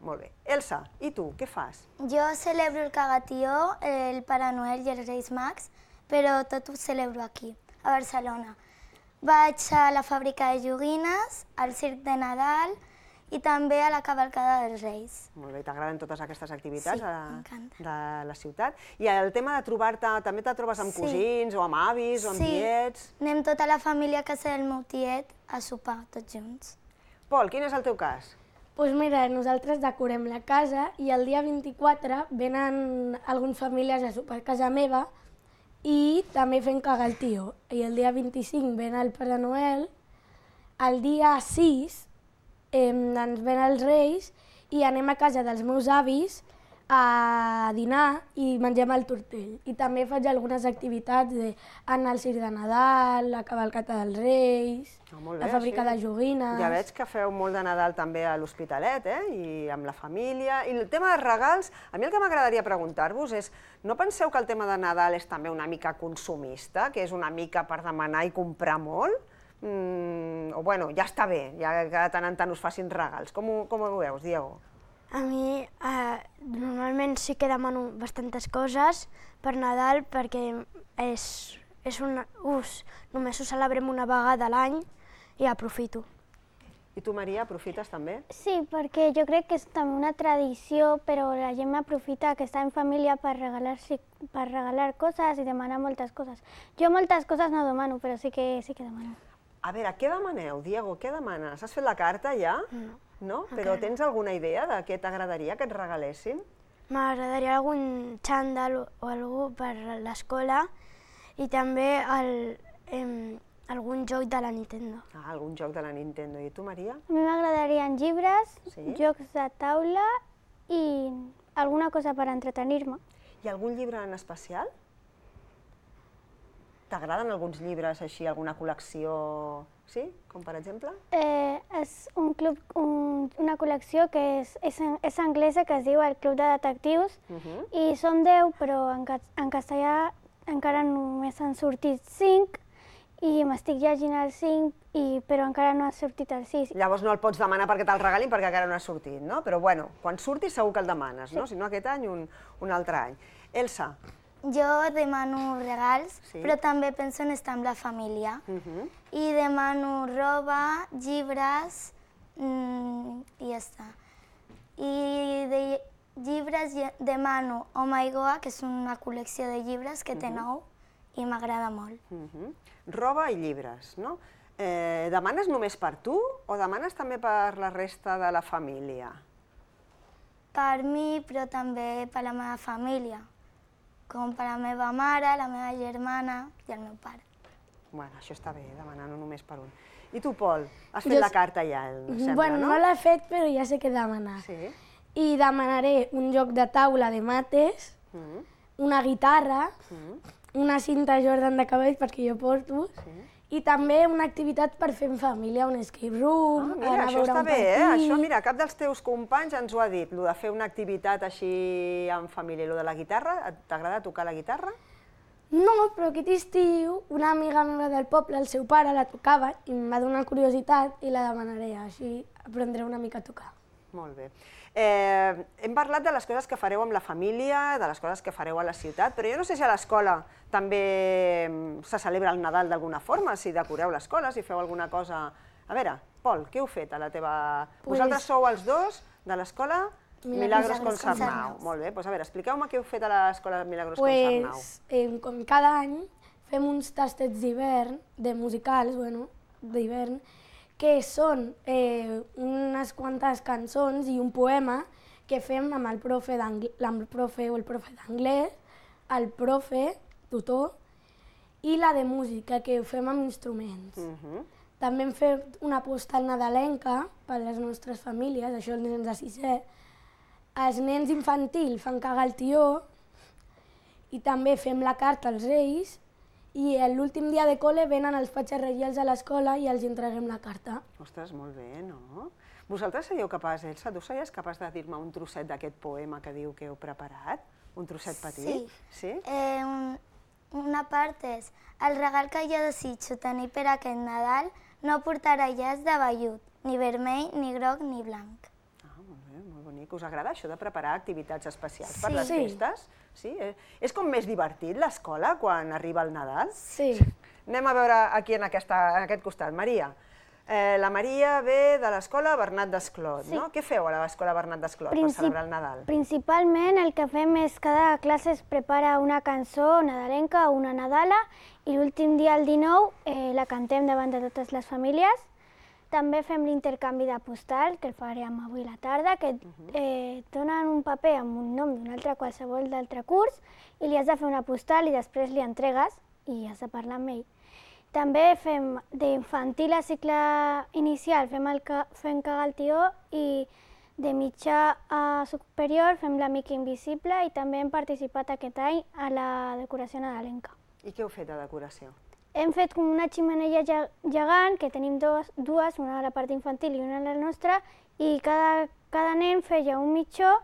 Molt bé. Elsa, i tu, què fas? Jo celebro el cagatió, el Pare Noel i els Reis Mags, però tot ho celebro aquí, a Barcelona. Vaig a la fàbrica de joguines, al circ de Nadal i també a la cavalcada dels Reis. Molt bé, t'agraden totes aquestes activitats m'encanta. de la ciutat. I el tema de trobar-te, també te trobes amb cosins o amb avis o amb tiets? Sí, anem tota la família a casa del meu tiet a sopar tots junts. Pol, quin és el teu cas? Doncs mira, nosaltres decorem la casa i el dia 24 venen alguns familiars a sopar a casa meva i també fem cagar el tio. I el dia 25 ven el Pare Noel, el dia 6 ens ven els Reis i anem a casa dels meus avis a dinar i mengem el tortell. I també faig algunes activitats d'anar al circ de Nadal, la cavalcata dels Reis, la fàbrica de joguines... Ja veig que feu molt de Nadal també a l'Hospitalet, i amb la família. I el tema dels regals, a mi el que m'agradaria preguntar-vos és, no penseu que el tema de Nadal és també una mica consumista, que és una mica per demanar i comprar molt? O bueno, ja està bé, ja que de tant en tant us facin regals. Com ho veus, Diego? A mi normalment sí que demano bastantes coses per Nadal perquè només ho celebrem una vegada a l'any i aprofito. I tu, Maria, aprofites també? Sí, perquè jo crec que és també una tradició, però la gent aprofita que està en família per regalar coses i demanar moltes coses. Jo moltes coses no demano, però sí que demano. A veure, què demaneu, Diego? Què demanes? Has fet la carta ja? No? Però tens alguna idea de què t'agradaria que et regalessin? M'agradaria algun xandall o algú per l'escola i també algun joc de la Nintendo. Ah, algun joc de la Nintendo. I tu, Maria? A mi m'agradarien llibres, jocs de taula i alguna cosa per entretenir-me. I algun llibre en especial? T'agraden alguns llibres així, alguna col·lecció, sí? Com per exemple? És una col·lecció que és anglesa, que es diu El Club de Detectius, i són 10, però en castellà encara només han sortit 5, i m'estic llegint el 5, però encara no ha sortit el 6. Llavors no el pots demanar perquè te'l regalin perquè encara no ha sortit, no? Però bueno, quan surti segur que el demanes, no? Si no aquest any, un altre any. Elsa? Jo demano regals, però també penso en estar amb la família. I demano roba, llibres i ja està. I de llibres demano Oh My God, que és una col·lecció de llibres que té 9 i m'agrada molt. Roba i llibres, no? Demanes només per tu o demanes també per la resta de la família? Per mi, però també per la meva família. Com per la meva mare, la meva germana i el meu pare. Bueno, això està bé, demanar no només per un. I tu, Pol, has fet la carta ja, sembla, no? Bueno, no l'he fet, però ja sé què demanar. Sí? I demanaré un joc de taula de mates, una guitarra, una cinta Jordan de cabell, perquè jo porto, i també una activitat per fer en família, un escape room, mira, això està bé, això, mira, cap dels teus companys ens ho ha dit, el de fer una activitat així en família. I el de la guitarra, t'agrada tocar la guitarra? No, però aquest estiu una amiga meva del poble, el seu pare, la tocava i em va donar curiositat i la demanaré, així aprendré una mica a tocar. Molt bé. Hem parlat de les coses que fareu amb la família, de les coses que fareu a la ciutat, però jo no sé si a l'escola també se celebra el Nadal d'alguna forma, si decoreu l'escola, si feu alguna cosa... A veure, Pol, què heu fet a la teva... Vosaltres sou els dos de l'escola Milagros Concernau. Molt bé, doncs a veure, expliqueu-me què heu fet a l'escola Milagros Concernau. Com cada any fem uns tastets d'hivern, de musicals, bueno, d'hivern, que són unes quantes cançons i un poema que fem amb el profe o el profe d'anglès, el profe, tutor, i la de música, que ho fem amb instruments. També hem fet una postal nadalenca per a les nostres famílies, això els nens de 6è. Els nens infantil fan cagar el tió i també fem la carta als reis i l'últim dia de col·le venen els patges reials a l'escola i els entreguem la carta. Ostres, molt bé, no? Vosaltres seríeu capaç, Elsa, tu series capaç de dir-me un trosset d'aquest poema que diu que heu preparat? Un trosset petit? Sí. Una part és: el regal que jo desitjo tenir per aquest Nadal no portarà llaç de vellut, ni vermell, ni groc, ni blanc. Molt bé, molt bonic. Us agrada això de preparar activitats especials per les festes? Sí. És com més divertit l'escola quan arriba el Nadal? Sí. Anem a veure aquí en aquest costat. Maria. La Maria ve de l'escola Bernat Desclot, no? Què feu a l'escola Bernat Desclot per celebrar el Nadal? Principalment el que fem és cada classe es prepara una cançó nadalenca o una nadala i l'últim dia, el 19, la cantem davant de totes les famílies. També fem l'intercanvi de postals, que el farem avui a la tarda, que donen un paper amb un nom d'un altre qualsevol d'altre curs i li has de fer una postal i després li entregues i has de parlar amb ell. També fem d'infantil a cicle inicial, fem cagar el tió i de mitjà a superior fem l'amic invisible i també hem participat aquest any a la decoració nadalenca. I què heu fet de decoració? Hem fet com una xemeneia gegant, que tenim dues, una a la part infantil i una a la nostra, i cada nen feia un mitjó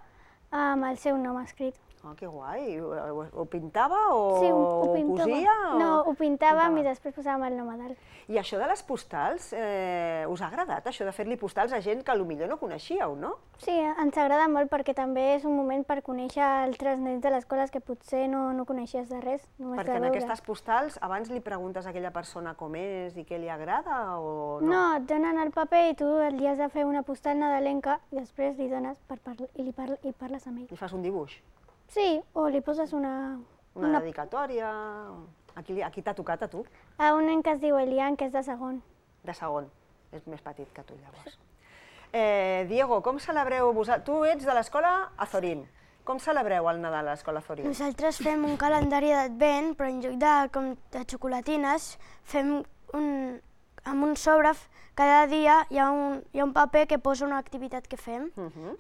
amb el seu nom escrit. Que guai! Ho pintava o ho cosia? No, ho pintàvem i després posàvem el nom a dalt. I això de les postals, us ha agradat, això de fer-li postals a gent que potser no coneixíeu, no? Sí, ens agrada molt perquè també és un moment per conèixer altres nens de les escoles que potser no coneixies de res. Perquè en aquestes postals abans li preguntes a aquella persona com és i què li agrada o no? No, et donen el paper i tu li has de fer una postal nadalenca i després li dones i parles amb ell. Li fas un dibuix? Sí, o li poses una dedicatòria. Aquí t'ha tocat a tu? A un nen que es diu Elian, que és de segon. De segon. És més petit que tu, llavors. Diego, com celebreu vosaltres? Tu ets de l'escola Azorín. Com celebreu el Nadal a l'escola Azorín? Nosaltres fem un calendari d'advent, però en lloc de xocolatines, fem amb un sobre. Cada dia hi ha un paper que posa una activitat que fem.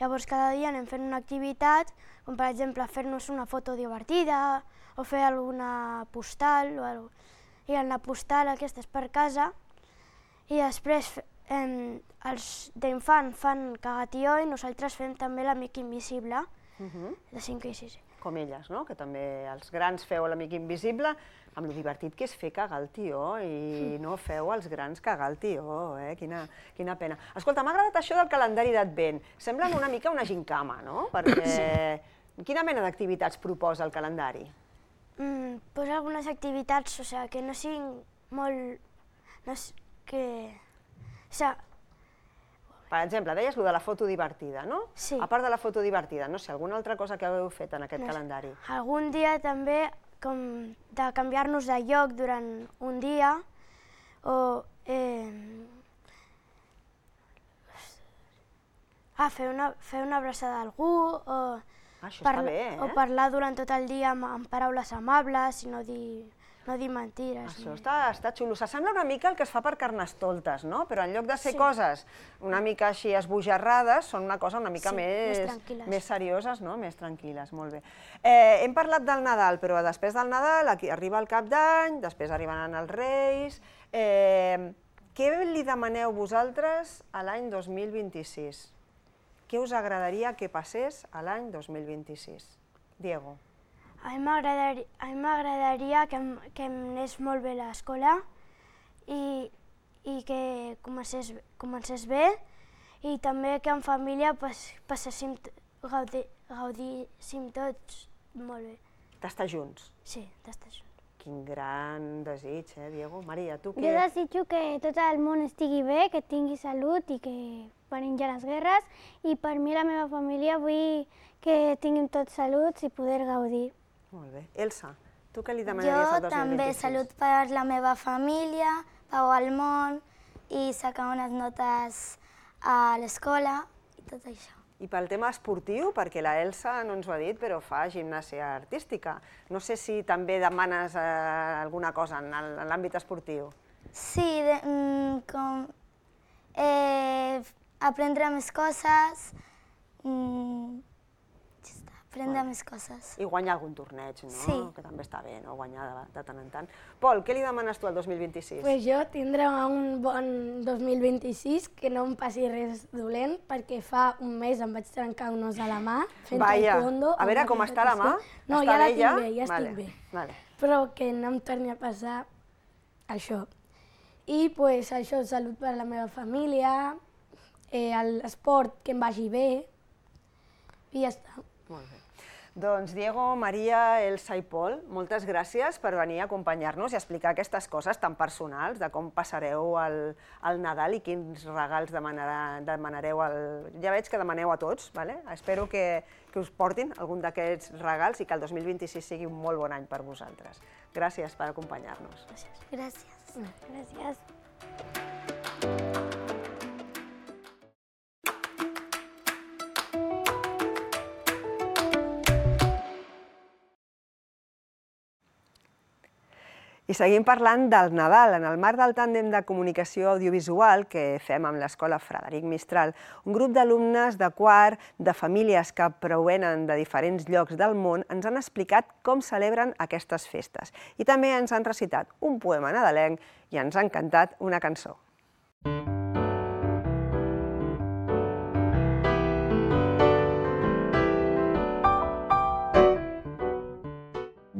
Llavors cada dia anem fent una activitat, com per exemple fer-nos una foto divertida o fer alguna postal o alguna cosa. I en la postal aquesta és per casa i després els d'infant fan cagatió i nosaltres fem també l'amic invisible de 5 i 6. Com elles, no? Que també els grans feu l'amic invisible, amb lo divertit que és fer cagar el tió i no feu els grans cagar el tió, Quina pena. Escolta, m'ha agradat això del calendari d'advent. Semblen una mica una gincama, no? Perquè quina mena d'activitats proposa el calendari? Posa algunes activitats, o sigui, que no siguin molt... Per exemple, deies allò de la foto divertida, no? Sí. A part de la foto divertida, no sé, alguna altra cosa que heu fet en aquest calendari? Algun dia també com de canviar-nos de lloc durant un dia o fer una abraçada a algú o parlar durant tot el dia amb paraules amables i no dir mentires. Això està xulo. S'assembla una mica el que es fa per Carnestoltes, no? Però en lloc de ser coses una mica així esbojarrades, són una cosa una mica més serioses, no? Més tranquil·les, molt bé. Hem parlat del Nadal, però després del Nadal arriba el Cap d'Any, després arribaran els Reis. Què li demaneu vosaltres a l'any 2026? Què us agradaria que passés a l'any 2026? Diego. A mi m'agradaria que em anés molt bé a l'escola i que comencés bé i també que en família gaudíssim tots molt bé. D'estar junts? Sí, d'estar junts. Quin gran desig, Diego? Maria, tu què? Jo desitjo que tot el món estigui bé, que tingui salut i que parin ja les guerres i per mi i la meva família vull que tinguin tots saluts i poder gaudir. Molt bé. Elsa, tu què li demanaries al 2026? Jo també salut per la meva família, pau al món i sacar unes notes a l'escola i tot això. I pel tema esportiu, perquè la Elsa no ens ho ha dit, però fa gimnàsia artística. No sé si també demanes alguna cosa en l'àmbit esportiu. Sí, com aprendre més coses, aprendre més coses. I guanyar algun torneig, no? Sí. Que també està bé, no? Guanyar de tant en tant. Pol, què li demanes tu al 2026? Pues jo tindré un bon 2026, que no em passi res dolent, perquè fa un mes em vaig trencar un os a la mà fent taekwondo. A veure com està la mà? No, ja la tinc bé, ja estic bé. Però que no em torni a passar això. I pues, això, salut per a la meva família, l'esport que em vagi bé, i ja està. Molt bé. Doncs Diego, Maria, Elsa i Pol, moltes gràcies per venir a acompanyar-nos i explicar aquestes coses tan personals, de com passareu el Nadal i quins regals demanareu. Ja veig que demaneu a tots, espero que us portin algun d'aquests regals i que el 2026 sigui un molt bon any per vosaltres. Gràcies per acompanyar-nos. Gràcies. Gràcies. I seguim parlant del Nadal. En el marc del tàndem de comunicació audiovisual que fem amb l'Escola Frederic Mistral, un grup d'alumnes de quart de famílies que provenen de diferents llocs del món ens han explicat com celebren aquestes festes. I també ens han recitat un poema nadalenc i ens han cantat una cançó.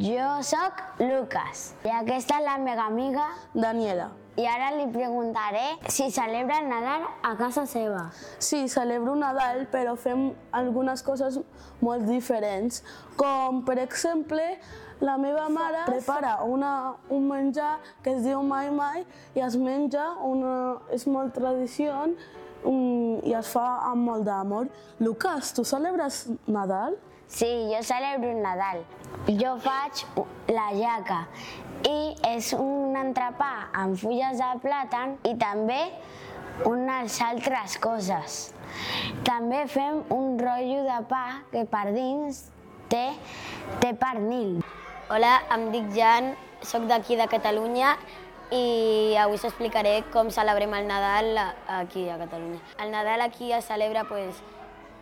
Jo soc Lucas i aquesta és la meva amiga Daniela. I ara li preguntaré si celebra el Nadal a casa seva. Sí, celebro Nadal, però fem algunes coses molt diferents. Com, per exemple, la meva mare prepara un menjar que es diu mai mai i es menja, és molt tradició i es fa amb molt d'amor. Lucas, tu celebres Nadal? Sí, jo celebro el Nadal. Jo faig la jaca i és un entrepà amb fulles de plàtan i també unes altres coses. També fem un rotllo de pa que per dins té pernil. Hola, em dic Jan, soc d'aquí de Catalunya i avui us explicaré com celebrem el Nadal aquí a Catalunya. El Nadal aquí es celebra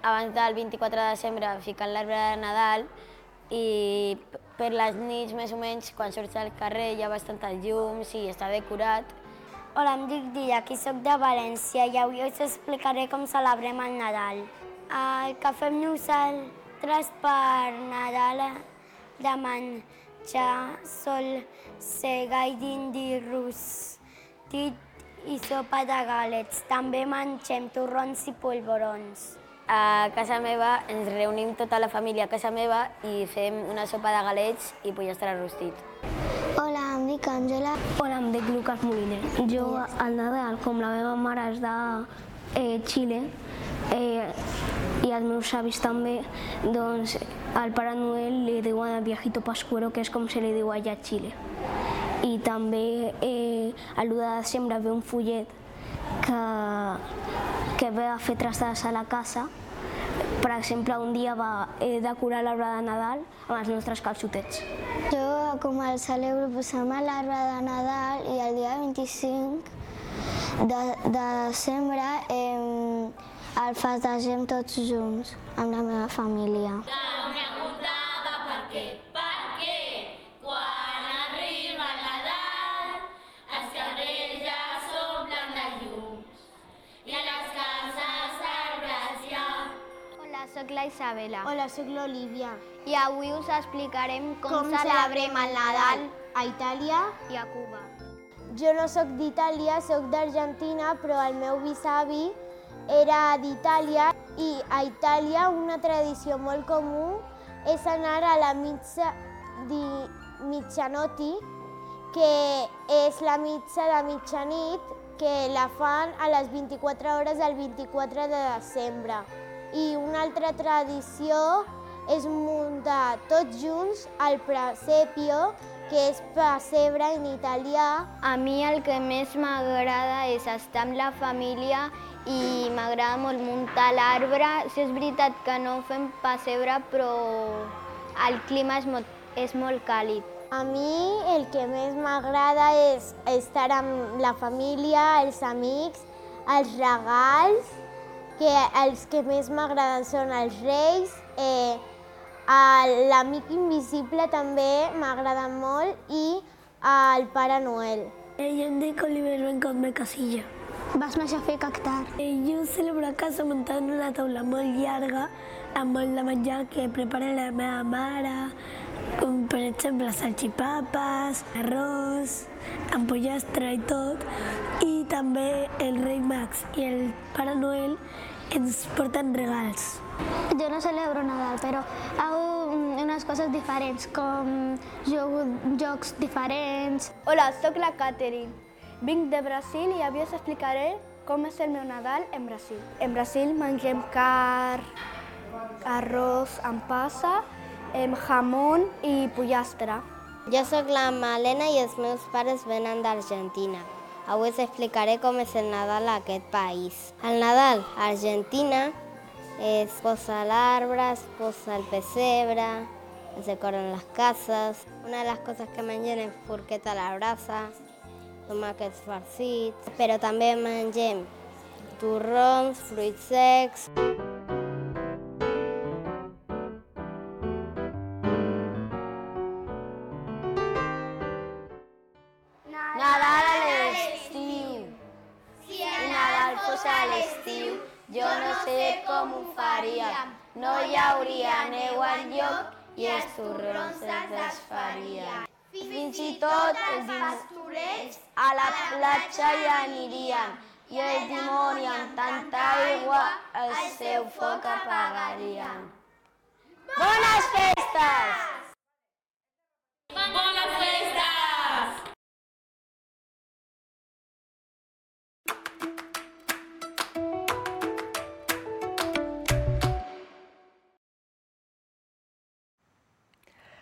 abans del 24 de desembre ficant l'arbre de Nadal i per les nits més o menys quan surts al carrer hi ha bastantes llums i està decorat. Hola, em dic Dia, aquí soc de València i avui us explicaré com celebrem el Nadal. El que fem nosaltres per Nadal de menjar sol, sega i dindi rostit i sopa de galets. També mengem torrons i polvorons. A casa meva ens reunim tota la família a casa meva i fem una sopa de galets i pollastre rostit. Hola, em dic Àngela. Hola, em dic Lucas Moliner. Jo al Nadal, com la meva mare és de Xile i els meus avis també, doncs al Pare Noel li diuen el viejito pascuero, que és com se li diu allà a Xile. I també a l'1 de desembre ve un follet que ve a fer trastades a la casa. Per exemple, un dia va decorar l'arbre de Nadal amb els nostres calçotets. Jo, com el celebro, posem l'arbre de Nadal i el dia 25 de desembre el festegem tots junts amb la meva família. Una puntada perquè quan arriba el Nadal els carrers ja s'omplen de llums i a les cases arbres hi ha. Hola, soc la Isabela. Hola, soc l'Olivia. I avui us explicarem com celebrem el Nadal a Itàlia i a Cuba. Jo no soc d'Itàlia, soc d'Argentina, però el meu bisavi era d'Itàlia i a Itàlia una tradició molt comú és anar a la missa di mitjanotti, que és la missa de mitjanit que la fan a les 24 hores del 24 de desembre. I una altra tradició és muntar tots junts el presepio, que és pessebre en italià. A mi el que més m'agrada és estar amb la família i m'agrada molt muntar l'arbre. Sí, és veritat que no fem pessebre, però el clima és molt càlid. A mi el que més m'agrada és estar amb la família, els amics, els regals, que els que més m'agraden són els reis, l'amic invisible també m'agrada molt i el Pare Noel. Jo em dic Oliver Bencot Casilla. Vas més a fer cactar. Jo celebro a casa muntant una taula molt llarga amb molt de menjar que prepara la meva mare, com per exemple salxipapes, arròs, amb pollastre i tot. I també el rei Max i el Pare Noel ens porten regals. Jo no celebro Nadal, però hago unes coses diferents, com jocs diferents. Hola, soc la Catherine. Vinc de Brasil i avui us explicaré com és el meu Nadal en Brasil. En Brasil mengem carn, arròs amb passa, jamón i pollastre. Jo sóc la Malena i els meus pares venen d'Argentina. Avui us explicaré com és el Nadal a aquest país. El Nadal a Argentina es posa l'arbre, es posa el pessebre, es decoren les cases. Una de les coses que mengem és porqueta a la brasa, tomàquets farcits, però també mengem torrons, fruits secs. Nadal a l'estiu. Si el Nadal fos a l'estiu, jo no sé com ho faríem. No hi hauria neu enlloc i els torrons es desfarien. Fins i tot els pastorets a la platja hi anirien i el dimoni amb tanta aigua el seu foc apagarien. Bones festes! Bones festes!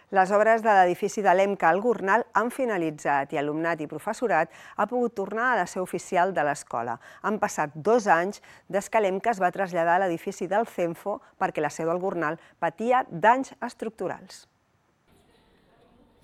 Les obres de l'edifici de l'EMCA al Gornal han finalitzat i alumnat i professorat ha pogut tornar a la seu oficial de l'escola. Han passat 2 anys des que l'EMCA es va traslladar a l'edifici del CENFO perquè la seu del Gornal patia danys estructurals.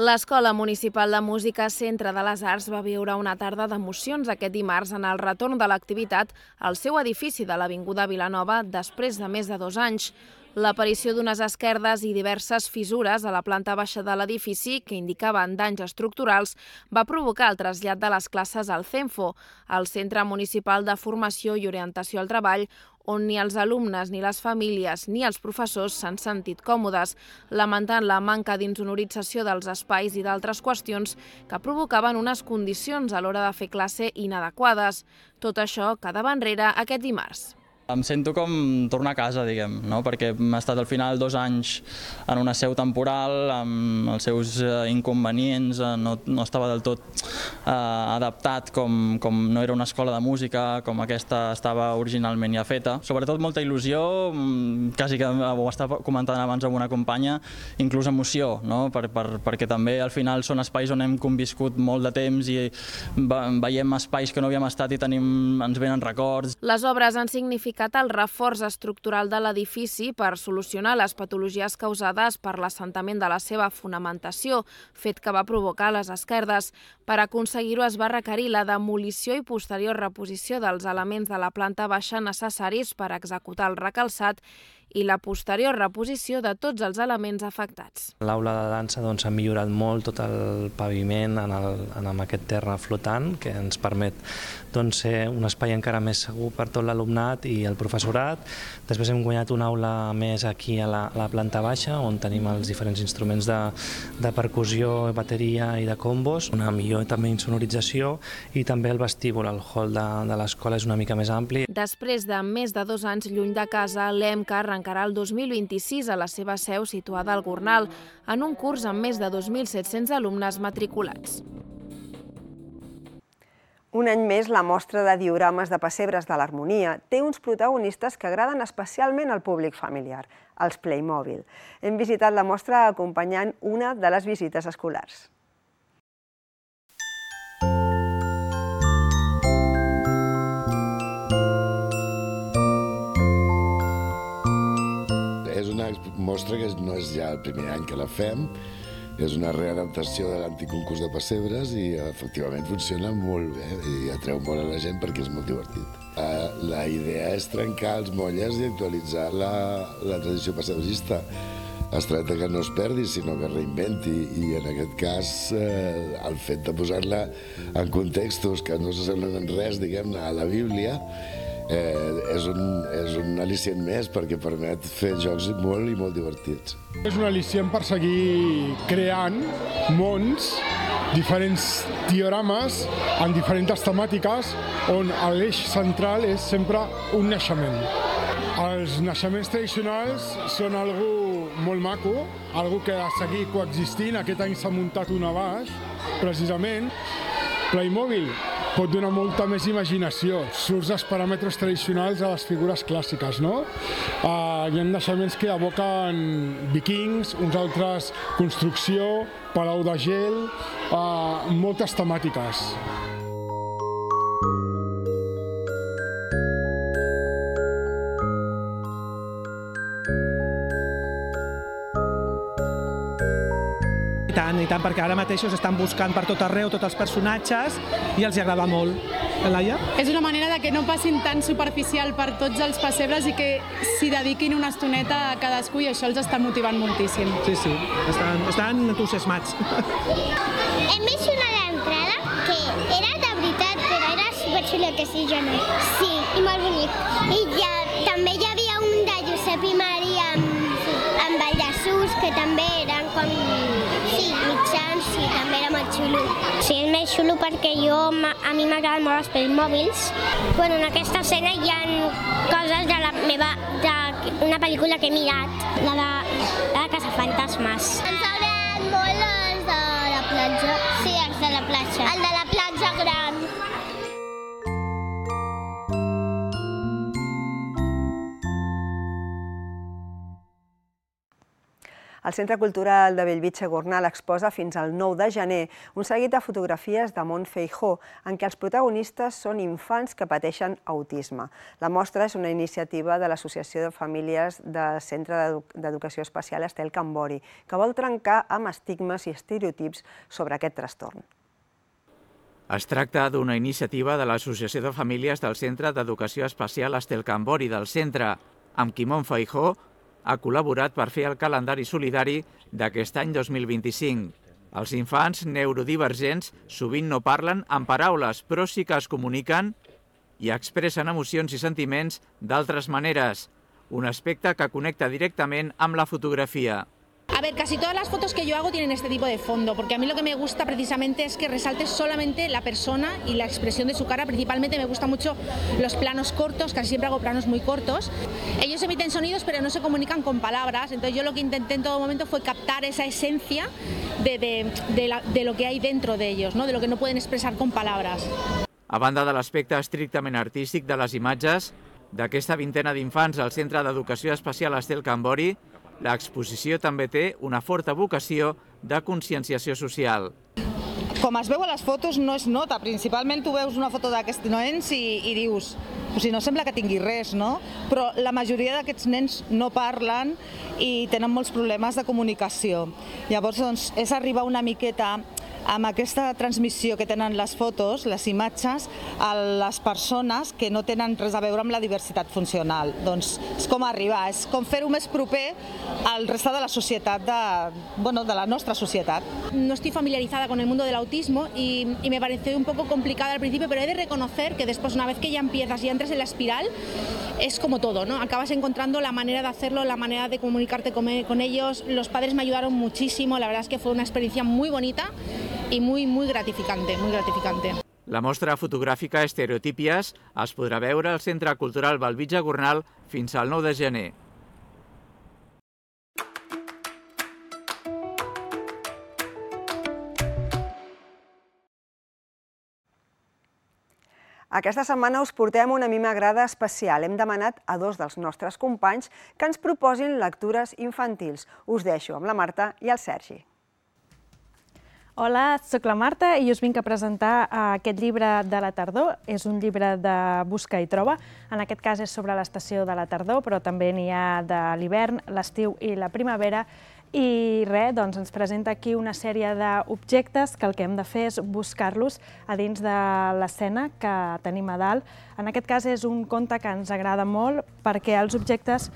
L'Escola Municipal de Música Centre de les Arts va viure una tarda d'emocions aquest dimarts en el retorn de l'activitat al seu edifici de l'Avinguda Vilanova després de més de 2 anys. L'aparició d'unes esquerdes i diverses fissures a la planta baixa de l'edifici que indicaven danys estructurals va provocar el trasllat de les classes al CENFO, el Centre Municipal de Formació i Orientació al Treball, on ni els alumnes, ni les famílies, ni els professors s'han sentit còmodes, lamentant la manca d'insonorització dels espais i d'altres qüestions que provocaven unes condicions a l'hora de fer classe inadequades. Tot això quedava enrere aquest dimarts. Em sento com tornar a casa, diguem, no? Perquè hem estat al final 2 anys en una seu temporal, amb els seus inconvenients, no estava del tot adaptat com no era una escola de música, com aquesta estava originalment ja feta. Sobretot molta il·lusió, quasi que ho estava comentant abans amb una companya, inclús emoció, no? Perquè també al final són espais on hem conviscut molt de temps i veiem espais que no havíem estat i ens venen records. Les obres han significat el reforç estructural de l'edifici per solucionar les patologies causades per l'assentament de la seva fonamentació, fet que va provocar les esquerdes. Per aconseguir-ho es va requerir la demolició i posterior reposició dels elements de la planta baixa necessaris per executar el recalçat i la posterior reposició de tots els elements afectats. L'aula de dansa ha millorat molt tot el paviment amb aquest terra flotant que ens permet ser un espai encara més segur per tot l'alumnat i el professorat. Després hem guanyat una aula més aquí a la planta baixa on tenim els diferents instruments de percussió, bateria i de combos, una millor també insonorització i també el vestíbul, el hall de l'escola és una mica més ampli. Després de més de 2 anys lluny de casa, l'EMCA arrencarà el 2026 a la seva seu situada al Gornal, en un curs amb més de 2.700 alumnes matriculats. Un any més, la mostra de diorames de pessebres de l'Harmonia té uns protagonistes que agraden especialment al públic familiar, els Playmobil. Hem visitat la mostra acompanyant una de les visites escolars. És una mostra que no és ja el primer any que la fem, És una readaptació de l'antic concurs de pessebres i efectivament funciona molt bé i atreu molt a la gent perquè és molt divertit. La idea és trencar els molles i actualitzar la tradició pessebrista. Es tracta que no es perdi, sinó que es reinventi, i en aquest cas el fet de posar-la en contextos que no s'assemblen en res, diguem-ne, a la Bíblia, és un al·licient més perquè permet fer jocs molt i molt divertits. És un al·licient per seguir creant mons, diferents diorames en diferents temàtiques on l'eix central és sempre un naixement. Els naixements tradicionals són algo molt maco, algo que ha de seguir coexistint. Aquest any s'ha muntat una baix, precisament. Playmobil pot donar molta més imaginació. Surts dels paràmetres tradicionals a les figures clàssiques, no? Hi ha naixements que evoquen vikings, uns altres construcció, palau de gel, moltes temàtiques. I tant, perquè ara mateix estan buscant per tot arreu tots els personatges i els agrada molt. Laia? És una manera de que no passin tan superficial per tots els pessebres i que s'hi dediquin una estoneta a cadascú, i això els està motivant moltíssim. Sí, estan entusiasmats. Hem vist una a l'entrada que era de veritat, però era superxuleta, sí, jo no. Sí, i molt bonic. I també hi havia un de Josep i Maria amb el Jesús, que també eren com mitjans, i també era molt xulo. Sí, és més xulo perquè a mi m'agraden molt els Playmobils. Bueno, en aquesta escena hi ha coses d'una pel·lícula que he mirat, la de Caçafantasmes. Ens agraden molt els de la platja. Sí, els de la platja. El de la platja gran. El Centre Cultural de Bellvitge Gornal exposa fins al 9 de gener un seguit de fotografies de Mont Feijó, en què els protagonistes són infants que pateixen autisme. La mostra és una iniciativa de l'Associació de Famílies del Centre d'Educació Especial Estel Cambori, que vol trencar amb estigmes i estereotips sobre aquest trastorn. Es tracta d'una iniciativa de l'Associació de Famílies del Centre d'Educació Especial Estel Cambori del centre, amb qui Mont Feijó ha col·laborat per fer el calendari solidari d'aquest any 2025. Els infants neurodivergents sovint no parlen amb paraules, però sí que es comuniquen i expressen emocions i sentiments d'altres maneres, un aspecte que connecta directament amb la fotografia. A ver, casi todas las fotos que yo hago tienen este tipo de fondo, porque a mí lo que me gusta precisamente es que resalte solamente la persona y la expresión de su cara. Principalmente me gustan mucho los planos cortos, casi siempre hago planos muy cortos. Ellos emiten sonidos pero no se comunican con palabras, entonces yo lo que intenté en todo momento fue captar esa esencia de lo que hay dentro de ellos, ¿no? De lo que no pueden expresar con palabras. A banda de l'aspecte estrictament artístic de les imatges, d'aquesta vintena d'infants al Centre d'Educació Especial Estel Cambori, l'exposició també té una forta vocació de conscienciació social. Com es veu a les fotos no es nota, principalment tu veus una foto d'aquests nens i dius, no sembla que tingui res, no? Però la majoria d'aquests nens no parlen i tenen molts problemes de comunicació. Llavors és arribar una miqueta amb aquesta transmissió que tenen les fotos, les imatges, a les persones que no tenen res a veure amb la diversitat funcional. Doncs és com arribar, és com fer-ho més proper al resta de la societat, de la nostra societat. No estoy familiarizada con el mundo del autismo y me pareció un poco complicada al principio, pero he de reconocer que después, una vez que ya empiezas y entras en la espiral, es como todo, ¿no? Acabas encontrando la manera de hacerlo, la manera de comunicarte con ellos. Los padres me ayudaron muchísimo, la verdad es que fue una experiencia muy bonita i muy gratificante, muy gratificante. La mostra fotogràfica Estereotípies es podrà veure al Centre Cultural Bellvitge Gornal fins al 9 de gener. Aquesta setmana us portem una mimagrada especial. Hem demanat a dos dels nostres companys que ens proposin lectures infantils. Us deixo amb la Marta i el Sergi. Hola, soc la Marta i us vinc a presentar aquest llibre de la tardor. És un llibre de busca i troba. En aquest cas és sobre l'estació de la tardor, però també n'hi ha de l'hivern, l'estiu i la primavera. I res, doncs ens presenta aquí una sèrie d'objectes que el que hem de fer és buscar-los a dins de l'escena que tenim a dalt. En aquest cas és un conte que ens agrada molt perquè els objectes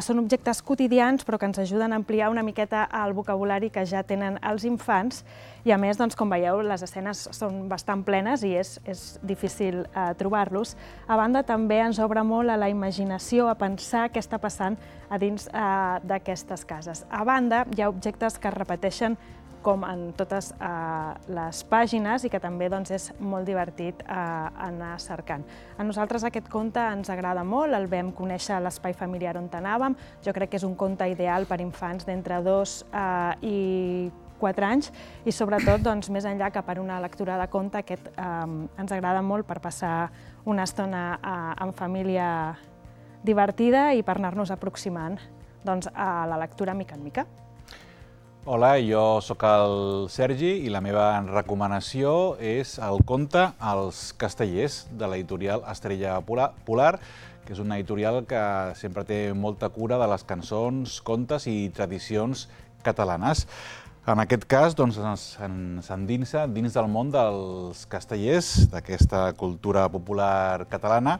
són objectes quotidians però que ens ajuden a ampliar una miqueta el vocabulari que ja tenen els infants i a més, doncs, com veieu, les escenes són bastant plenes i és difícil trobar-los. A banda, també ens obre molt a la imaginació, a pensar què està passant a dins d'aquestes cases. A banda, hi ha objectes que es repeteixen com en totes les pàgines i que també és molt divertit anar cercant. A nosaltres aquest conte ens agrada molt, el vam conèixer a l'espai familiar on anàvem. Jo crec que és un conte ideal per infants d'entre 2 i 4 anys i sobretot, més enllà que per una lectura de conte, aquest ens agrada molt per passar una estona en família divertida i per anar-nos aproximant a la lectura mica en mica. Hola, jo sóc el Sergi i la meva recomanació és el conte Els castellers de l'editorial Estrella Polar, que és una editorial que sempre té molta cura de les cançons, contes i tradicions catalanes. En aquest cas, ens endinsa dins del món dels castellers, d'aquesta cultura popular catalana,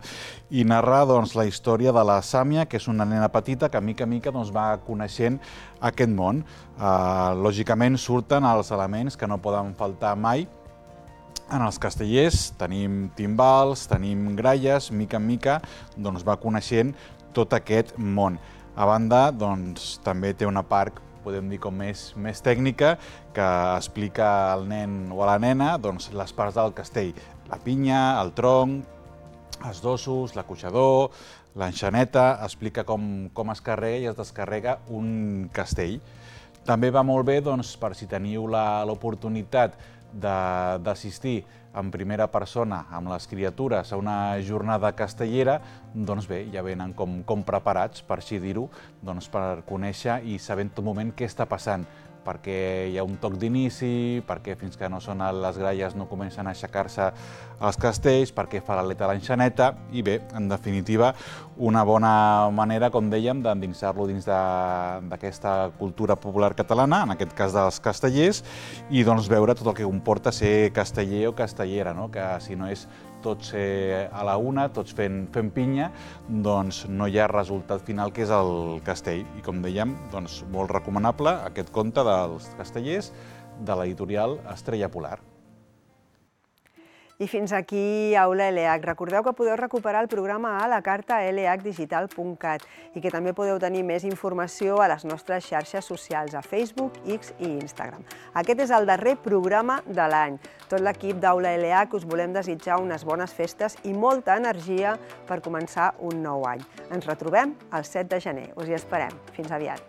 i narra la història de la Sàmia, que és una nena petita que mica en mica va coneixent aquest món. Lògicament surten els elements que no poden faltar mai en els castellers. Tenim timbals, tenim gralles, mica en mica va coneixent tot aquest món. A banda, també té una part podem dir com més tècnica, que explica al nen o a la nena les parts del castell. La pinya, el tronc, els dosos, l'acoixador, l'enxaneta, explica com es carrega i es descarrega un castell. També va molt bé per si teniu l'oportunitat d'assistir en primera persona amb les criatures a una jornada castellera, bé, ja venen com preparats, per així dir-ho, per conèixer i saber en tot moment què està passant, perquè hi ha un toc d'inici, perquè fins que no sonen les gralles no comencen a aixecar-se els castells, perquè fa l'aleta l'enxaneta, i bé, en definitiva, una bona manera, com dèiem, d'endinsar-lo dins d'aquesta cultura popular catalana, en aquest cas dels castellers, i veure tot el que comporta ser casteller o castellera, que si no és tots a la una, tots fent pinya, no hi ha resultat final que és el castell. I com dèiem, molt recomanable aquest conte dels castellers de l'editorial Estrella Polar. I fins aquí Aula ELEAC. Recordeu que podeu recuperar el programa a la carta eleacdigital.cat i que també podeu tenir més informació a les nostres xarxes socials, a Facebook, X i Instagram. Aquest és el darrer programa de l'any. Tot l'equip d'Aula ELEAC us volem desitjar unes bones festes i molta energia per començar un nou any. Ens retrobem el 7 de gener. Us hi esperem. Fins aviat.